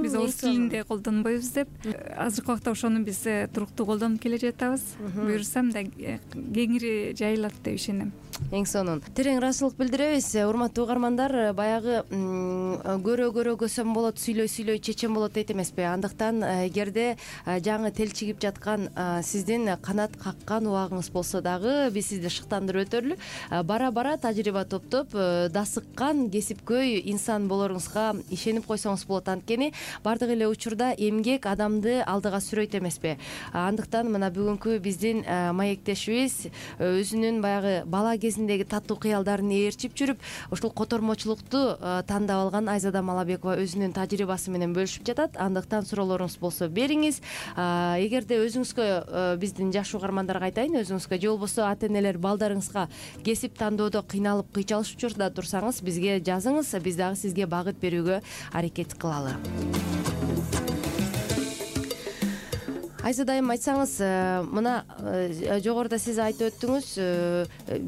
Биз орус тилинде колдонбойбуз деп. Азыркы убакта ошону биз туруктуу колдонуп келе жатабыз. Буюрса мындай кеңири жайылат деп ишенем. Эң сонун. Терең ыраазычылык билдиребиз. Урматтуу угармандар, баягы көрө көсөм болот, сүйлөй чечен болот дейт эмеспи? Андыктан эгерде жаңы телчигип жаткан сиздин канат каккан убагыңыз болсо дагы биз сизди шыктандырып өтөлү. Бара тажрыйба топтоп дасыккан кесипкөй инсан болоруңузга ишенип койсоңуз болот. Анткени бардык эле учурда эмгек адамды алдыга сүрөйт эмеспи? Андыктан мына бүгүнкү биздин маектешибиз өзүнүн баягы бала кезиндеги таттуу кыялдарын ээрчип жүрүп, ушул котормочулукту тандап алган Айзада Малабекова өзүнүн тажрыйбасы менен бөлүшүп жатат. Андыктан суроолоруңуз болсо бериңиз. Эгерде өзүңүзгө, биздин жаш угармандарга айтайын, өзүңүзгө же болбосо ата-энелер балдарыңызга кесип тандоодо кыйналып кыйчалышып учурда турсаңыз, бизге жазыңыз, биз дагы сизге багыт берүүгө аракет кылалы. Айзада айым, айтсаңыз, мына жогоруда сиз айтып өттүңүз,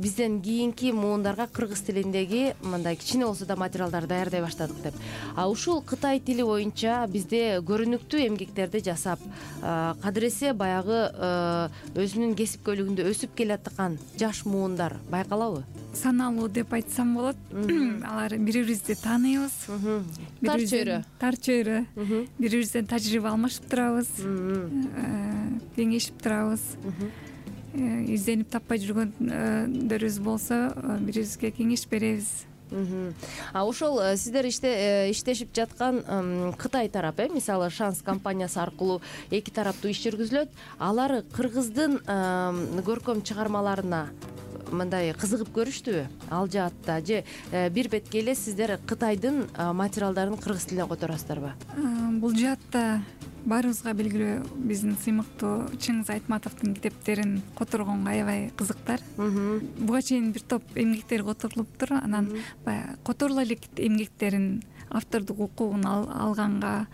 бизден кийинки муундарга кыргыз тилиндеги мындай кичине болсо да материалдар даярдай баштадык деп. Ушул кытай тили боюнча бизде көрүнүктүү эмгектерди жасап, кадыресе баягы өзүнүн кесипкөйлүгүндө өсүп келаткан жаш муундар байкалабы? Саналуу деп айтсам болот. Алар бири-бирибизди тааныйбыз. Тар чөйрө. Бири-бирибизден тажрыйба алмашып турабыз. Кеңешип турабыз. Изденип таппай жүргөндөрүбүз болсо, бири-бирибизге кеңеш беребиз. Ошол сиздер иштешип жаткан Кытай тарап, мисалы Шанс компаниясы аркылуу эки тараптуу иш жүргүзүлөт. Алар кыргыздын көркөм чыгармаларына мындай кызыгып көрүштүбү ал жаатта, же бир бетке эле сиздер Кытайдын материалдарын кыргыз тилине которасыздарбы? Бул жаатта баарыбызга белгилүү биздин сыймыктуу Чыңгыз Айтматовдун китептерин которгонго аябай кызыктар. Буга чейин бир топ эмгектер которулуптур. Анан баягы которула элек эмгектерин автордук укугун алганга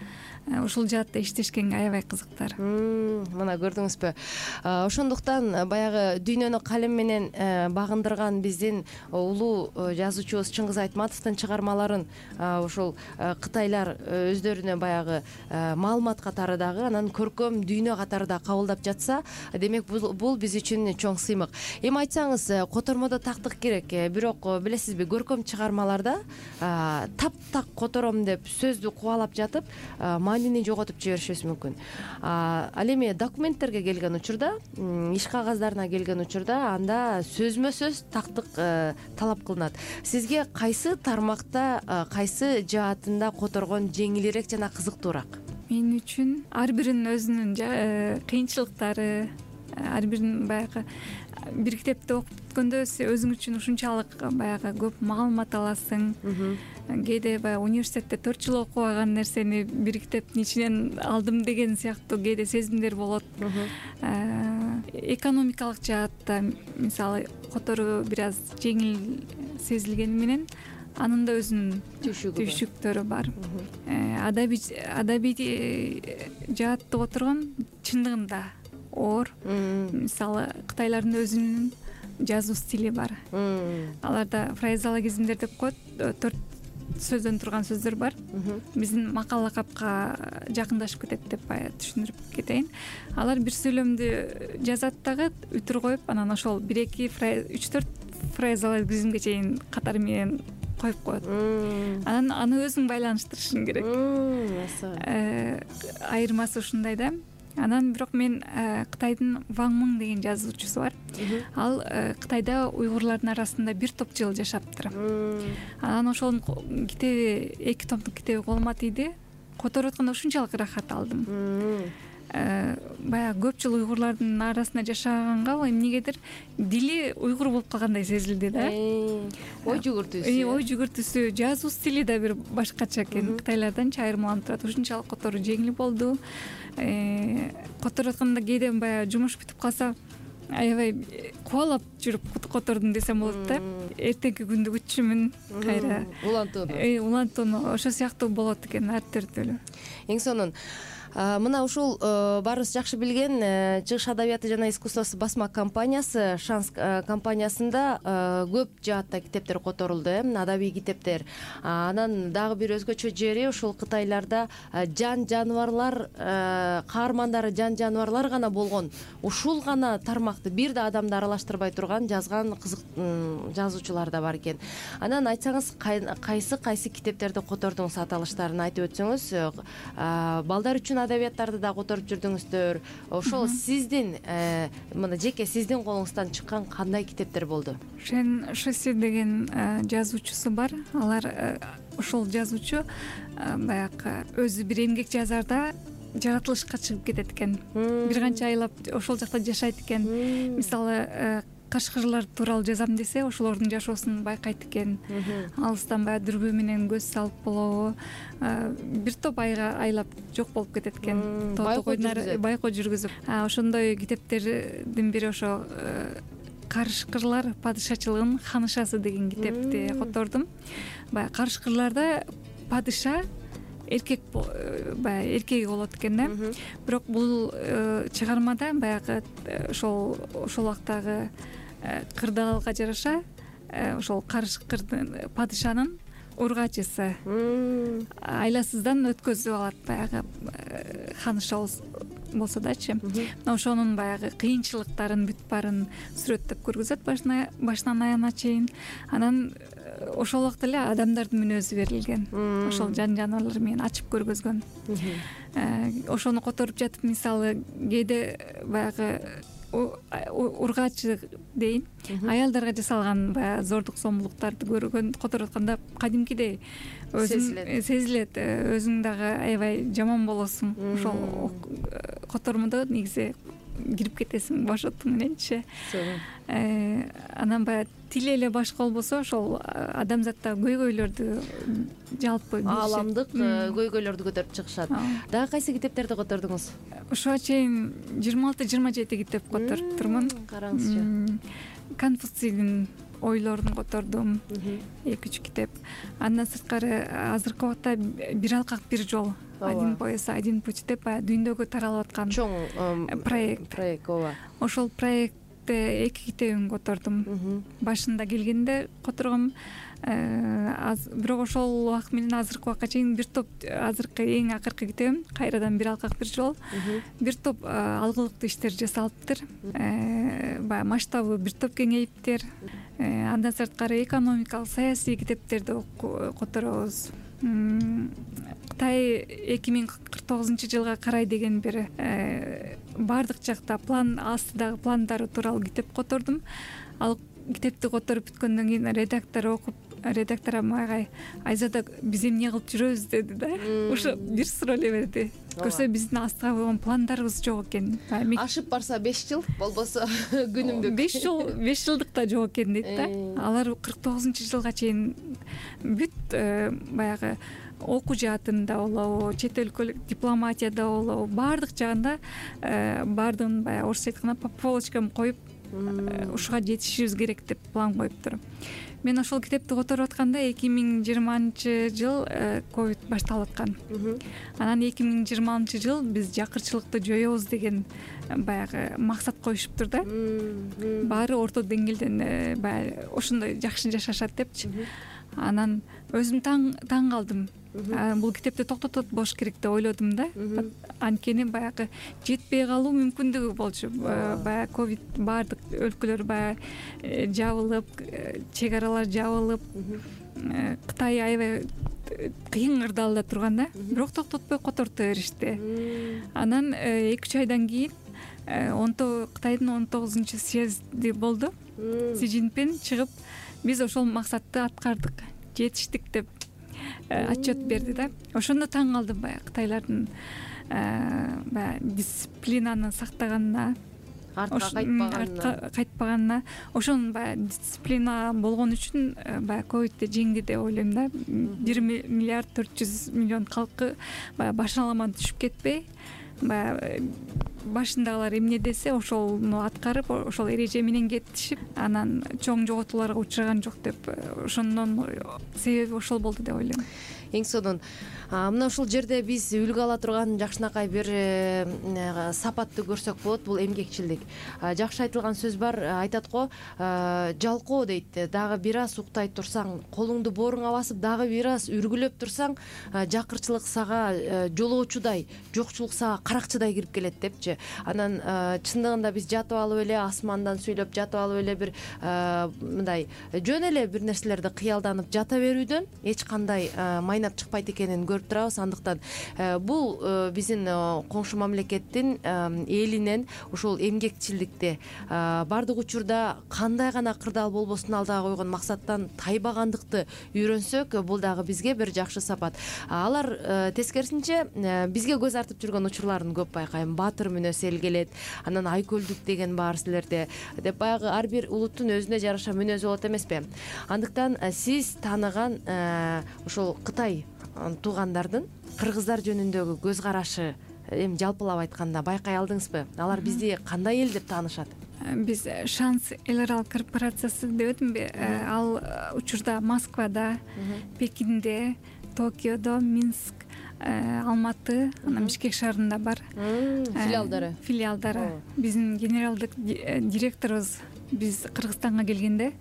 ушул жаатта иштешкенге аябай кызыктар. Мына көрдүңүзбү, ошондуктан баягы дүйнөнү калем менен багындырган биздин улуу жазуучубуз Чыңгыз Айтматовдун чыгармаларын ушул кытайлар өздөрүнө баягы маалымат катары дагы, анан көркөм дүйнө катары да кабылдап жатса, демек бул биз үчүн чоң сыймык. Эми айтсаңыз, котормодо тактык керек, бирок билесизби, көркөм чыгармаларда таптак котором деп сөздү кубалап жатып, маанини жоготуп жиберишибиз мүмкүн. Ал эми документтерге келген учурда, иш кагаздарына келген учурда, анда сөзмө сөз тактык талап кылынат. Сизге кайсы тармакта, кайсы жаатында которгон жеңилирээк жана кызыктуураак? Мен үчүн ар биринин өзүнүн кыйынчылыктары, ар биринин баягы бир китепти окуп бүткөндө өзүң үчүн ушунчалык баягы көп маалымат аласың. Кээде баягы университетте 4 жыл окубаган нерсени бир китептин ичинен алдым деген сыяктуу кээде сезимдер болот. Экономикалык жаатта мисалы которуу бир аз жеңил сезилгени менен анын да өзүнүн түйшүктөрү бар. Адабий жаатты которгон чындыгында оор. Мисалы кытайлардын өзүнүн жазуу стили бар. Аларда фразеологизмдер деп коет, 4 сөздөн турган сөздөр бар. Биздин макал лакапка жакындашып кетет деп түшүндүрүп кетейин. Алар бир сүйлөмдү жазат дагы үтүр коюп, анан ошол 1-2 3-4 фразеологизмге чейин катары менен коюп коет. Анан аны өзүң байланыштырышың керек. Айырмасы ушундай да. Анан бирок мен Кытайдын Ван Мың деген жазуучусу бар. Ал Кытайда уйгурлардын арасында бир топ жыл жашаптыр. Анан ошонун китеби, 2 томдук китеби колума тийди. Которуп атканда ушунчалык ырахат алдым. Баягы көп жыл уйгурлардын арасында жашаганга эмнегедир дили уйгур болуп калгандай сезилди да. Ой жүгүртүүсү, жазуу стили да бир башкача экен. Кытайларданча айырмаланып турат. Ушунчалык которуу жеңил болду. Которуп атканда кээде баягы жумуш бүтүп калса, аябай кубалап жүрүп котордум десем болот да. Эртеңки күндү күтчүмүн кайра. Улантууну ошо сыяктуу болот экен, ар түрдүү. Эң сонун мына ушул баарыбыз жакшы билген Чыгыш адабияты жана искусствосы басма компаниясы, Шанс компаниясында көп жаатта китептер которулду, адабий китептер. Анан дагы бир өзгөчө жери ушул Кытайларда жан-жаныбарлар каармандары жан-жаныбарлар гана болгон, ушул гана тармакты бир да адамды аралаштырбай турган жазган кызык жазуучулар да бар экен. Анан айтсаңыз, кайсы китептерди котордуңуз, аталыштарын айтып өтсөңүз. Балдар үчүн адабияттарды да которуп жүрдүңүздөр. Ошол сиздин мына жеке сиздин колуңуздан чыккан кандай китептер болду? Шен Шесси деген жазуучусу бар. Алар ошол жазуучу баягы өзү бир эмгек жазарда жаратылышка чыгып кетет экен. Бир канча айлап ошол жакта жашайт экен. Мисалы кашкырлар тууралуу жазам десе, ошолордун жашоосун байкайт экен. Алыстан баягы дүрбү менен көз салып болобу, бир топ айга айлап жок болуп кетет экен. Байкоо жүргүзүп. Ошондой китептердин бири ошо Карышкырлар падышачылыгынын ханышасы деген китепти котордум. Баягы карышкырларда падыша эркек эркеги болот экен да. Бирок бул чыгармада баягы ошол убактагы кырдаалга жараша ошол карышкырдын падышанын ургачысы айласыздан өткөзүп алат баягы ханыша болсо дачы. Ошонун баягы кыйынчылыктарын, бүт баарын сүрөттөп көргөзөт башынан аягына чейин. Анан ошол убакта эле адамдардын мүнөзү берилген. Ошол жан-жаныбарлар менен ачып көргөзгөн. Ошону которуп жатып, мисалы кээде баягы ургачы дейин, аялдарга жасалган баягы зордук зомбулуктарды көргөн, которуп атканда кадимкидей сезилет. Өзүң дагы аябай жаман болосуң. Ошол котормодо негизи кирип кетесиң башоттуң мененчи. Анан баягы тили эле башка болбосо, ошол адамзатта көйгөйлөрдү, жалпы ааламдык көйгөйлөрдү көтөрүп чыгышат. Дагы кайсы китептерди котордуңуз? Ошого чейин 26-27 китеп которуптурмун. Караңызчы. Конфуцийдин ойлорун котордум, 2-3 китеп. Андан сырткары азыркы убакта Бир алкак бир жол один пояс один путь деп баягы дүйнөгө таралып аткан чоң проект ооба. Ошол проектте 2 китебин котордум. Башында келгенде которгом, бирок ошол убакыт менен азыркы убакка чейин бир топ, азыркы эң акыркы китебим кайрадан бир алкак бир жол, бир топ алгылыктуу иштер жасалыптыр. Баягы масштабы бир топ кеңейиптир. Андан сырткары экономикалык, саясий китептерди которобуз. Кытай 2049-жылга карай деген бир бардык жакта план астыдагы пландары тууралуу китеп котордум. Ал китепти которуп бүткөндөн кийин редактор мага Айзада биз эмне кылып жүрөбүз деди да. Ошо бир суроо эле берди. Көрсө биздин астыга койгон пландарыбыз жок экен. Ашып барса 5 жыл, болбосо күнүмдүк 5 жылдык да жок экен дейт да. Алар 49-жылга чейин бүт баягы окуу жаатында болобу, чет өлкөлүк дипломатияда болобу, баардык жагында баардыгын баягы орусча айтканда по полочкам коюп ушуга жетишибиз керек деп план коюптур. Мен ошол китепти которуп атканда 2020-жыл ковид башталып аткан. Анан 2020-жыл биз жакырчылыкты жоёбуз деген баягы максат коюшуптур да. Баары орто деңгээлден баягы ошондой жакшы жашашат депчи. Анан өзүм таң калдым. Бул китепти токтотот болуш керек деп ойлодум да. Анткени баягы жетпей калуу мүмкүндүгү болчу. Баягы ковид баардык өлкөлөр баягы жабылып, чек аралар жабылып, Кытай аябай кыйын кырдаалда турган да. Бирок токтотпой которто беришти. Анан 2-3 айдан кийин Кытайдын 19-съезди болду. Си Цзиньпин чыгып, биз ошол максатты аткардык, жетиштик деп отчет берди да. Ошондо таң калдым баягы Кытайлардын баягы дисциплинаны сактаганына, артка кайтпаганына, ошонун баягы дисциплина болгон үчүн баягы ковидти жеңди деп ойлойм да. 1 миллиард 400 миллион калкы баягы башаламан түшүп кетпей, баягы башындагылар эмне десе ошону аткарып, ошол эреже менен кетишип, анан чоң жоготууларга учураган жок деп, ошондон себеби ошол болду деп ойлойм. Эң сонун мына ушул жерде биз үлгү ала турган жакшынакай бир сапатты көрсөк болот. Бул эмгекчилдик. Жакшы айтылган сөз бар, айтат го, жалкоо дейт. Дагы бир аз уктай турсаң, колуңду бооруңа басып, дагы бир аз үргүлөп турсаң, жакырчылык сага жолоочудай, жокчулук сага каракчыдай кирип келет депчи. Анан чындыгында биз жатып алып эле асмандан сүйлөп, жатып алып эле бир мындай жөн эле бир нерселерди кыялданып жата берүүдөн эч кандай майнап чыкпайт экенин көрүп турабыз. Андыктан бул биздин коңшу мамлекеттин элинен ушул эмгекчилдикти баардык учурда кандай гана кырдаал болбосун алдыга койгон максаттан тайбагандыкты үйрөнсөк, бул дагы бизге бир жакшы сапат. Алар тескерисинче бизге көз артып жүргөн учурларын көп байкайм. Баатыр мүнөз эл келет, анан айкөлдүк деген бар силерде деп, баягы ар бир улуттун өзүнө жараша мүнөзү болот эмеспи? Андыктан сиз тааныган ошол Кытай туугандардын кыргыздар жөнүндөгү көз карашы эми жалпылап айтканда байкай алдыңызбы? Алар бизди кандай эл деп таанышат? Биз Шанс эл аралык корпорациясы дебедимби? Ал учурда Москвада, Пекинде, Токиодо, Минск, Алматы, анан Бишкек шаарында бар. Филиалдары. Биздин генералдык директорубуз биз Кыргызстанга келгенде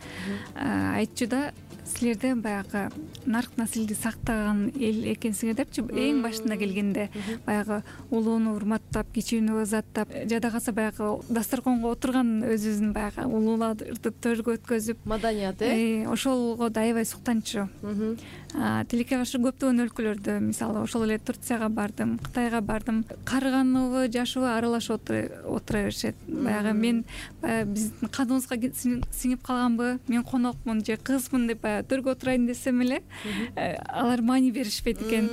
айтчу да, силерде баягы нарк насилди сактаган эл экенсиңер депчи. Эң башында келгенде баягы улууну урматтап, кичүүнү ызаттап, жада калса баягы дасторконго отурган өзүбүздүн баягы улууларды төргө өткөзүп, маданият ошолго да аябай суктанчу. Тилекке каршы көптөгөн өлкөлөрдө, мисалы ошол эле Турцияга бардым, Кытайга бардым, карыганыбы, жашыбы аралашып отура беришет. Баягы мен биздин каныбызга сиңип калганбы, мен конокмун же кызмын деп төргө отурайын десем эле, алар маани беришпейт экен.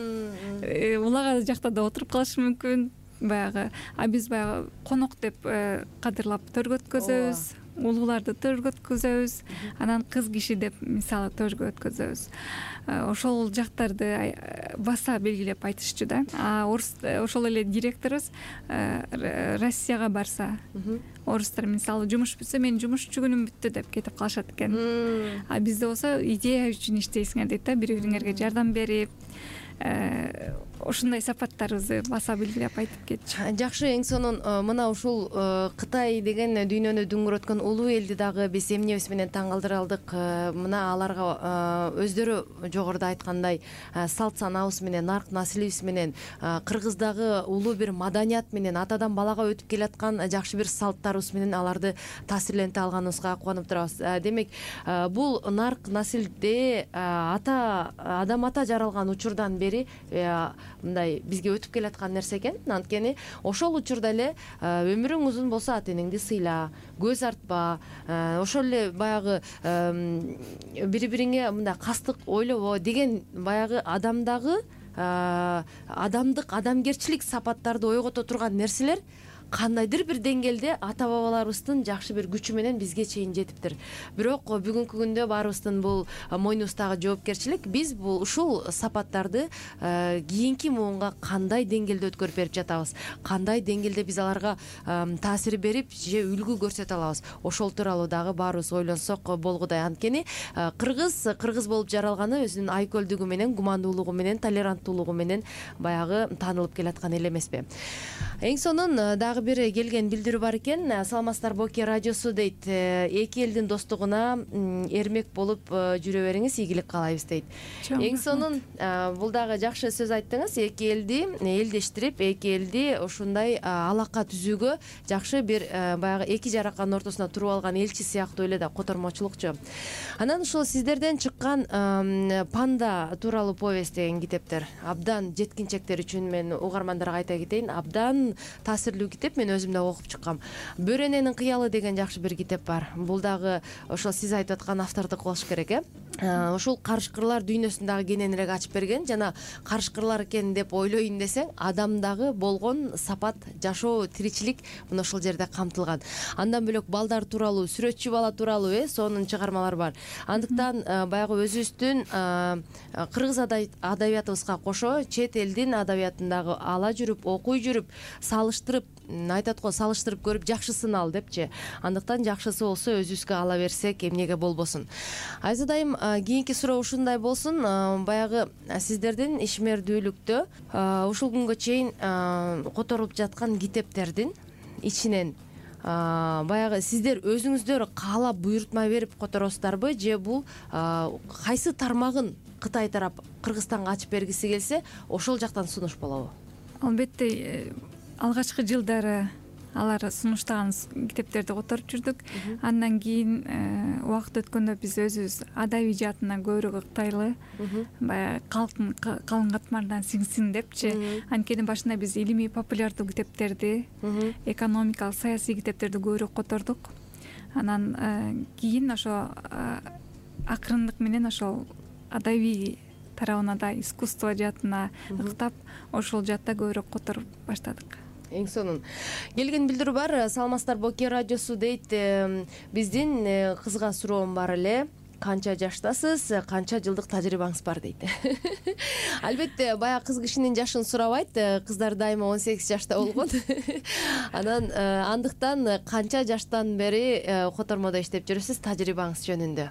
Улага жакта да отуруп калышы мүмкүн. Баягы биз баягы конок деп кадырлап төргө өткөзөбүз, улууларды төргө өткөзөбүз, анан кыз киши деп мисалы төргө өткөзөбүз. Ошол жактарды баса белгилеп айтышчу да. Ошол эле директорубуз Россияга барса, орустар мисалы жумуш бүтсө, менин жумушчу күнүм бүттү деп кетип калышат экен. Бизде болсо идея үчүн иштейсиңер дейт да, бири-бириңерге жардам берип, ушундай сапаттарыбызды баса белгилеп айтып кетчү. Жакшы, эң сонун мына ушул Кытай деген дүйнөнү дүңгүрөткөн улуу элди дагы биз эмнебиз менен таң калтыра алдык. Мына аларга өздөрү жогоруда айткандай салт санаабыз менен, нарк насилибиз менен, кыргыздагы улуу бир маданият менен, атадан балага өтүп келаткан жакшы бир салттарыбыз менен аларды таасирленте алганыбызга кубанып турабыз. Демек, бул нарк насилде адам ата жаралган учурдан бери мындай бизге өтүп келаткан нерсе экен. Анткени ошол учурда эле өмүрүң узун болсо ата энеңди сыйла, көз артпа, ошол эле баягы бири бириңе мындай кастык ойлобо деген баягы адамдагы адамдык, адамгерчилик сапаттарды ойгото турган нерселер кандайдыр бир деңгээлде ата бабаларыбыздын жакшы бир күчү менен бизге чейин жетиптир. Бирок бүгүнкү күндө баарыбыздын бул мойнубуздагы жоопкерчилик, биз бул ушул сапаттарды кийинки муунга кандай деңгээлде өткөрүп берип жатабыз, кандай деңгээлде биз аларга таасир берип же үлгү көрсөтө алабыз. Ошол тууралуу дагы баарыбыз ойлонсок болгудай. Анткени кыргыз болуп жаралганы өзүнүн айкөлдүгү менен, гумандуулугу менен, толеранттуулугу менен баягы таанылып келаткан эле эмеспи. Эң сонун дагы бир келген билдирүү бар экен. Саламатсыздарбы, Оке радиосу дейт. Эки элдин достугуна эрмек болуп жүрө бериңиз, ийгилик каалайбыз дейт. Эң сонун бул дагы жакшы сөз айттыңыз. Эки элди элдештирип, эки элди ушундай алака түзүүгө жакшы бир баягы эки жараканын ортосуна туруп алган элчи сыяктуу эле да котормочулукчу. Анан ушул сиздерден чыккан Панда тууралуу повесть деген китептер абдан жеткинчектер үчүн, мен угармандарга айта кетейин, абдан таасирлүү китеп. Мен өзүм да окуп чыккам. Бөрененин кыялы деген жакшы бир китеп бар. Бул дагы ошол сиз айтып аткан автордук болуш керек, ушул карышкырлар дүйнөсүн кененирээк ачып берген. Жана карышкырлар экен деп ойлойн десең, адамдагы болгон сапат, жашоо, тиричилик мына ошол жерде камтылган. Андан бөлөк балдар тууралуу, сүрөтчү бала тууралуу сонун чыгармалар бар. Андыктан баягы өзүбүздүн кыргыз адабиятыбызга кошо чет элдин адабиятын дагы ала жүрүп, окуй жүрүп, салыштырып, айтат го, салыштырып көрүп жакшысын ал депчи. Андыктан жакшысы болсо өзүбүзгө ала берсек, эмнеге болбосун. Айзадайым, кийинки суроо ушундай болсун. Баягы сиздердин ишмердүүлүктө ушул күнгө чейин которулуп жаткан китептердин ичинен баягы сиздер өзүңүздөр каалап буйрутма берип которосуздарбы, же бул кайсы тармагын Кытай тарап Кыргызстанга ачып бергиси келсе, ошол жактан сунуш болобу? Албетте, алгачкы жылдары алар сунуштаган китептерди которуп жүрдүк. Андан кийин убакыт өткөндө биз өзүбүз адабий жаатына көбүрөөк ыктайлы, баягы калктын калың катмарынан сиңсин депчи. Анткени башында биз илимий популярдуу китептерди, экономикалык, саясий китептерди көбүрөөк котордук. Анан кийин ошо акырындык менен ошол адабий тарабына да, искусство жаатына ыктап, ошол жаатта көбүрөөк которуп баштадык. Эң сонун келген билдирүү бар. Саламатсыздарбы, Оке радиосу дейт. Биздин кызга суроом бар эле. Канча жаштасыз, канча жылдык тажрыйбаңыз бар дейт. Албетте, баягы кыз кишинин жашын сурабайт. Кыздар дайыма 18 жашта болгон. Анан андыктан канча жаштан бери котормодо иштеп жүрөсүз, тажрыйбаңыз жөнүндө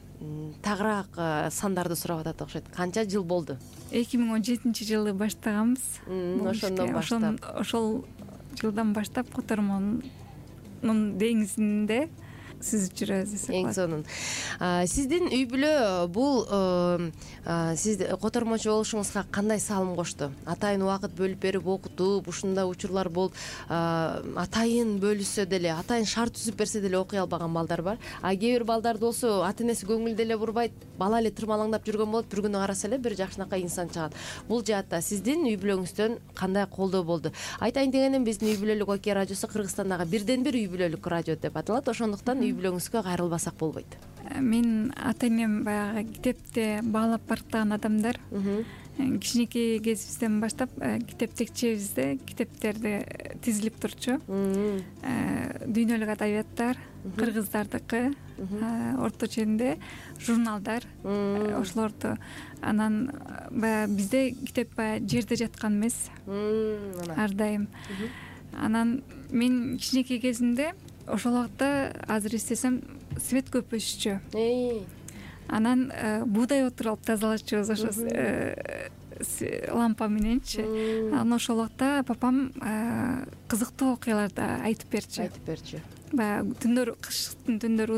тагыраак сандарды сурап атат окшойт. Канча жыл болду? 2017-жылы баштаганбыз. Ошондон баштап. Ошол жылдан баштап котормонун деңизинде сүзүп жүрөбүз десек болот. Эң сонун. Сиздин үй бүлө бул сиз котормочу болушуңузга кандай салым кошту? Атайын убакыт бөлүп берип окутуп, ушундай учурлар болуп, атайын бөлүшсө деле, атайын шарт түзүп берсе деле окуй албаган балдар бар. Кээ бир балдар болсо ата энеси көңүл деле бурбайт, бала эле тырмалаңдап жүргөн болот, бир күнү караса эле бир жакшынакай инсан чыгат. Бул жаатта сиздин үй бүлөңүздөн кандай колдоо болду? Айтайын дегеним, биздин үй бүлөлүк Оке радиосу Кыргызстандагы бирден бир үй бүлөлүк радио деп аталат. Ошондуктан үй бүлөңүзгө кайрылбасак болбойт. Мен ата энем баягы китепти баалап барктаган адамдар. Кичинекей кезибизден баштап китеп текчебизде китептерди тизилип турчу. Дүйнөлүк адабияттар, кыргыздардыкы, орто ченде журналдар, ошолорду. Анан баягы бизде китеп баягы жерде жаткан эмес. Ар дайым. Анан мен кичинекей кезимде ошол убакта, азыр эстесем, свет көп өсүчү. Анан буудай отуруп алып тазалачубуз, ошо лампа мененчи. Анан ошол убакта папам кызыктуу окуяларды айтып берчү. Баягы түндөр, кыштын түндөрү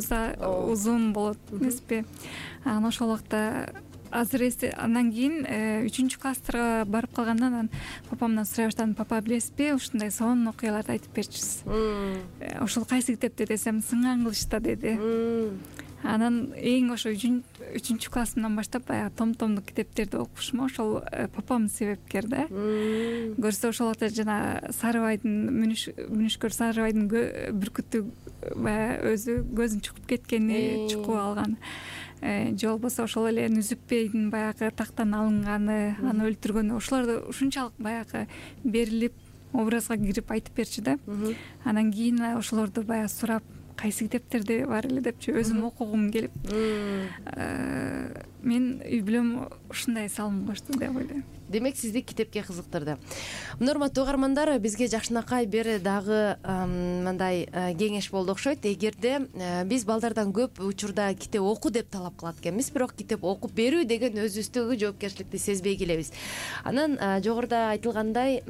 узун болот эмеспи. Анан ошол убакта азыр андан кийин 3-класстарга барып калгандан анан папамдан сурай баштадым: папа, билесизби, ушундай сонун окуяларды айтып берчүсүз. Ошол кайсы китепте десем, Сынган кылычта деди. Анан эң ошо 3-классымдан баштап баягы том-томдук китептерди окушум ошол папам себепкер да. Көрсө ошол убакта жана Сарыбайдын мүнүшкөр Сарыбайдын бүркүтү баягы өзү көзүн чукуп кеткени, чукуп алган. Же болбосо ошол эле Нүзүпбейдин баягы тактан алынганы, аны өлтүргөнү, ошолорду ушунчалык баягы берилип, образга кирип айтып берчү да. Анан кийин ошолорду баягы сурап, кайсы китептерде бар эле депчи, өзүм окугум келип, мен үй бүлөм ушундай салым кошту деп ойлойм. Демек сизди китепке кызыктырды. Урматтуу угармандар, бизге жакшынакай бир дагы мындай кеңеш болду окшойт. Эгерде биз балдардан көп учурда китеп оку деп талап кылат экенбиз, бирок китеп окуп берүү деген өзүбүздөгү жоопкерчиликти сезбей келебиз. Анан жогоруда айтылгандай,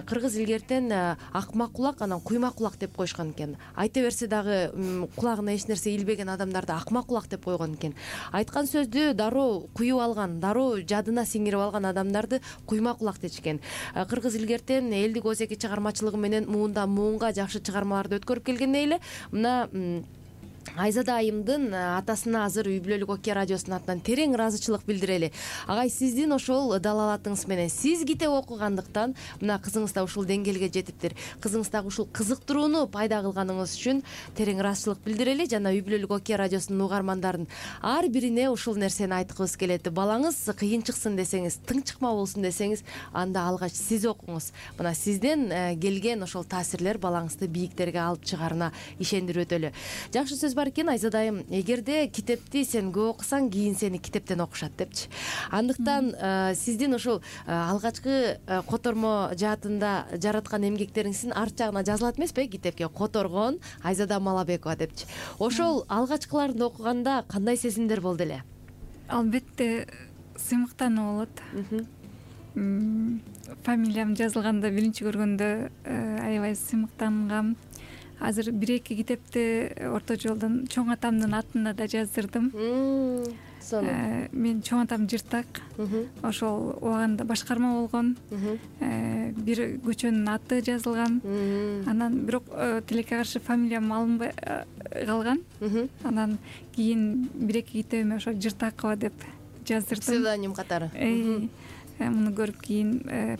кыргыз илгертен акмак кулак, анан куйма кулак деп коюшкан экен. Айта берсе дагы кулагына эч нерсе илбеген адамдарды акмак кулак деп койгон экен. Айткан сөздү дароо куюп алган, дароо жадына сиңирип алган адамдарды куйма кулак дечкен. Кыргыз илгертен элдик озеки чыгармачылыгы менен муундан муунга жакшы чыгармаларды өткөрүп келгендей эле мына Айзада айымдын атасына азыр үй бүлөлүк Окея радиосунун атынан терең ыраазычылык билдирели. Агай, сиздин ошол далалатыңыз менен сиз китеп окугандыктан мына кызыңыз да ушул деңгээлге жетиптир. Кызыңыз дагы ушул кызыктырууну пайда кылганыңыз үчүн терең ыраазычылык билдирели жана үй бүлөлүк Окея радиосунун угармандарын ар бирине ушул нерсени айткыбыз келет. Балаңыз кыйын чыксын десеңиз, тыңчыкма болсун десеңиз, анда алгач сиз окуңуз. Мына сизден келген ошол таасирлер балаңызды бийиктерге алып чыгарына ишендирип өтөлү. Жакшы сөз бар экен, Айзада айым, эгерде китепти сен көп окусаң, кийин сени китептен окушат депчи. Андыктан сиздин ушул алгачкы котормо жаатында жараткан эмгектериңиздин арт жагына жазылат эмеспи, китепке которгон Айзада Малабекова депчи. Ошол алгачкыларды окуганда кандай сезимдер болду эле? Албетте сыймыктануу болот. Фамилиям жазылганда биринчи көргөндө аябай сыймыктангам. Азыр 1-2 китепти орто жолдон чоң атамдын атына да жаздырдым. Мен чоң атам жыртак. Ошол убагында башкарма болгон. Бир көчөнүн аты жазылган. Анан бирок тилекке каршы фамилиям алынбай калган. Анан кийин 1-2 китебиме ошо Жыртакова деп жаздырдым. Псевдоним катары. Муну көрүп кийин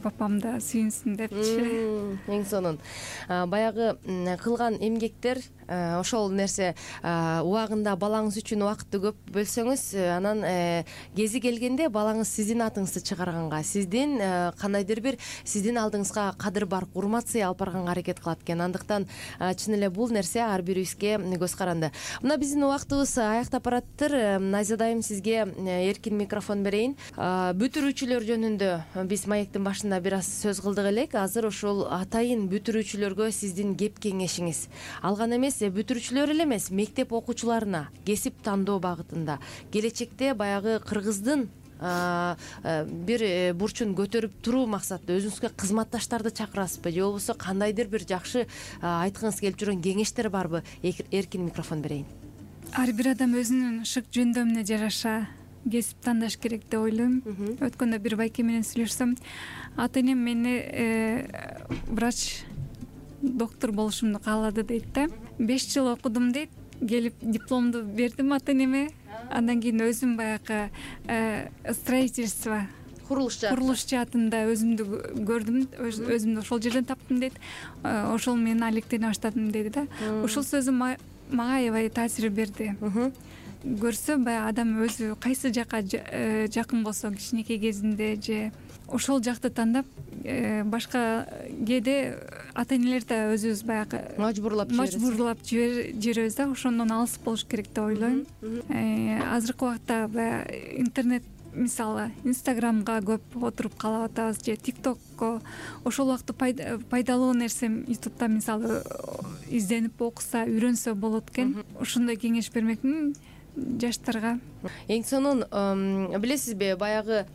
папам да сүйүнсүн депчи. Эң сонун. Баягы кылган эмгектер, ошол нерсе убагында балаңыз үчүн убакытты көп бөлсөңүз, анан кези келгенде балаңыз сиздин атыңызды чыгарганга, сиздин кандайдыр бир сиздин алдыңызга кадыр бар урмат сый алып барганга аракет кылат экен. Андыктан чын эле бул нерсе ар бирибизге көз каранды. Мына биздин убактыбыз аяктап бараттыр. Айзада айым, сизге эркин микрофон берейин. Бүтүрүүчүлөр жөнүндө биз маектин башында бир аз сөз кылдык элек. Азыр ошол атайын бүтүрүүчүлөргө сиздин кеп кеңешиңиз. Алган эмес, бүтүрүүчүлөр эле эмес, мектеп окуучуларына кесип тандоо багытында келечекте баягы кыргыздын бир бурчун көтөрүп туруу максатта өзүңүзгө кызматташтарды чакырасызбы, же болбосо кандайдыр бир жакшы айткыңыз келип жүргөн кеңештер барбы? Эркин микрофон берейин. Ар бир адам өзүнүн шык жөндөмүнө жараша кесип тандаш керек деп ойлойм. Өткөндө бир байке менен сүйлөшсөм, ата энем мени врач, доктор болушумду каалады дейт да. 5 жыл окудум дейт. Келип дипломду бердим ата энеме. Андан кийин өзүм баягы строительство, курулуш жаатында өзүмдү көрдүм, өзүмдү ошол жерден таптым дейт. Ошол менен алектене баштадым деди да. Ошол сөзү мага аябай таасир берди. Көрсө баягы адам өзү кайсы жакка жакын болсо кичинекей кезинде же ошол жакты тандап, башка кээде ата энелер да өзүбүз баягы мажбурлап жиберебиз да, ошондон алыс болуш керек деп ойлойм. Азыркы убакта баягы интернет, мисалы Инстаграмга көп отуруп калып атабыз, же ТикТокко. Ошол убакта пайдалуу нерсе Ютубта мисалы изденип окуса, үйрөнсө болот экен. Ошондой кеңеш бермекмин жаштарга. Эң сонун, билесизби, баягы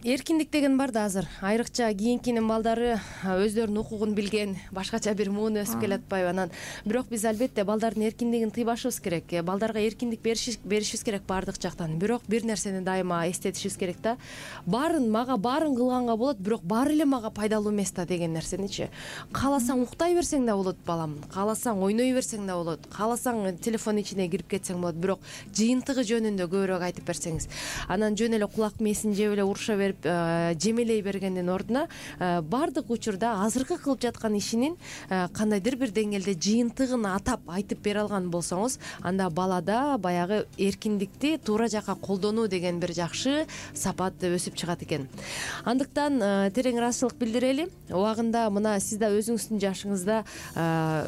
эркиндик деген бар да азыр, айрыкча кийинкинин балдары өздөрүнүн укугун билген, башкача бир муун өсүп келатпайбы анан. Бирок биз албетте балдардын эркиндигин тыйбашыбыз керек, балдарга эркиндик беришибиз керек баардык жактан. Бирок бир нерсени дайыма эстетишибиз керек да, мага баарын кылганга болот, бирок баары эле мага пайдалуу эмес да деген нерсеничи. Кааласаң уктай берсең да болот балам, кааласаң ойной берсең да болот, кааласаң телефон ичине кирип кетсең болот, бирок жыйынтыгы жөнүндө көбүрөөк айтып берсеңиз. Анан жөн эле кулак мээсин жеп эле уруша берип жемелей бергендин ордуна баардык учурда азыркы кылып жаткан ишинин кандайдыр бир деңгээлде жыйынтыгын атап айтып бере алган болсоңуз, анда балада баягы эркиндикти туура жакка колдонуу деген бир жакшы сапат өсүп чыгат экен. Андыктан терең ыраазычылык билдирели. Убагында мына сиз да өзүңүздүн жашыңызда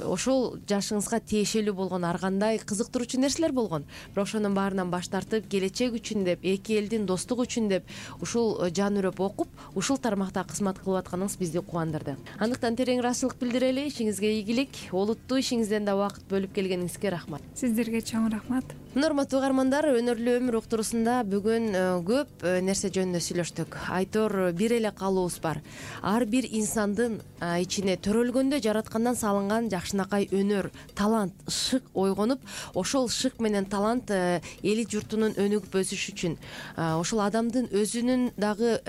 ошол жашыңызга тиешелүү болгон ар кандай кызыктыруучу нерселер болгон. Бирок ошонун баарынан баш тартып, келечек үчүн деп, эки элдин достугу үчүн деп ушул жан үрөп окуп, ушул тармакта кызмат кылып атканыңыз бизди кубандырды. Андыктан терең ыраазычылык билдирели. Ишиңизге ийгилик, олуттуу ишиңизден да убакыт бөлүп келгениңизге рахмат. Сиздерге чоң рахмат. Урматтуу угармандар, өнөрлүү өмүр уктуруусунда бүгүн көп нерсе жөнүндө сүйлөштүк. Айтор бир эле каалообуз бар. Ар бир инсандын ичине төрөлгөндө жараткандан салынган жакшынакай өнөр, талант, шык ойгонуп, ошол шык менен талант эли журтунун өнүгүп өсүшү үчүн, ошол адамдын өзүнүн дагы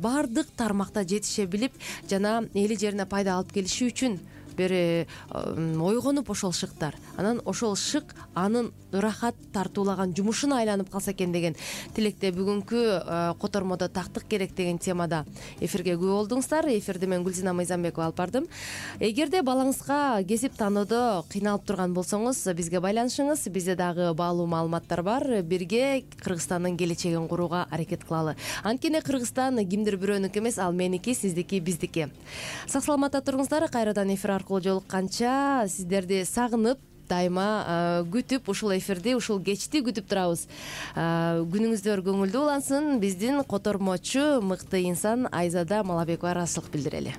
баардык тармакта жетише билип жана эли жерине пайда алып келиши үчүн бир ойгонуп ошол шыктар, анан ошол шык анын ырахат тартуулаган жумушуна айланып калса экен деген тилекте бүгүнкү котормодо тактык керек деген темада эфирге күбө болдуңуздар. Эфирди мен Гүлзина Мыйзамбекова алып бардым. Эгерде балаңызга кесип тандоодо кыйналып турган болсоңуз, бизге байланышыңыз. Бизде дагы баалуу маалыматтар бар. Бирге Кыргызстандын келечегин курууга аракет кылалы. Анткени Кыргызстан кимдир бирөөнүкү эмес, ал меники, сиздики, биздики. Сак саламатта туруңуздар. Кайрадан эфир аркылуу жолукканча сиздерди сагынып, дайыма күтүп, ушул эфирди, ушул кечти күтүп турабыз. Күнүңүздөр көңүлдүү улансын. Биздин котормочу мыкты инсан Айзада Малабекова ыраазычылык билдирели.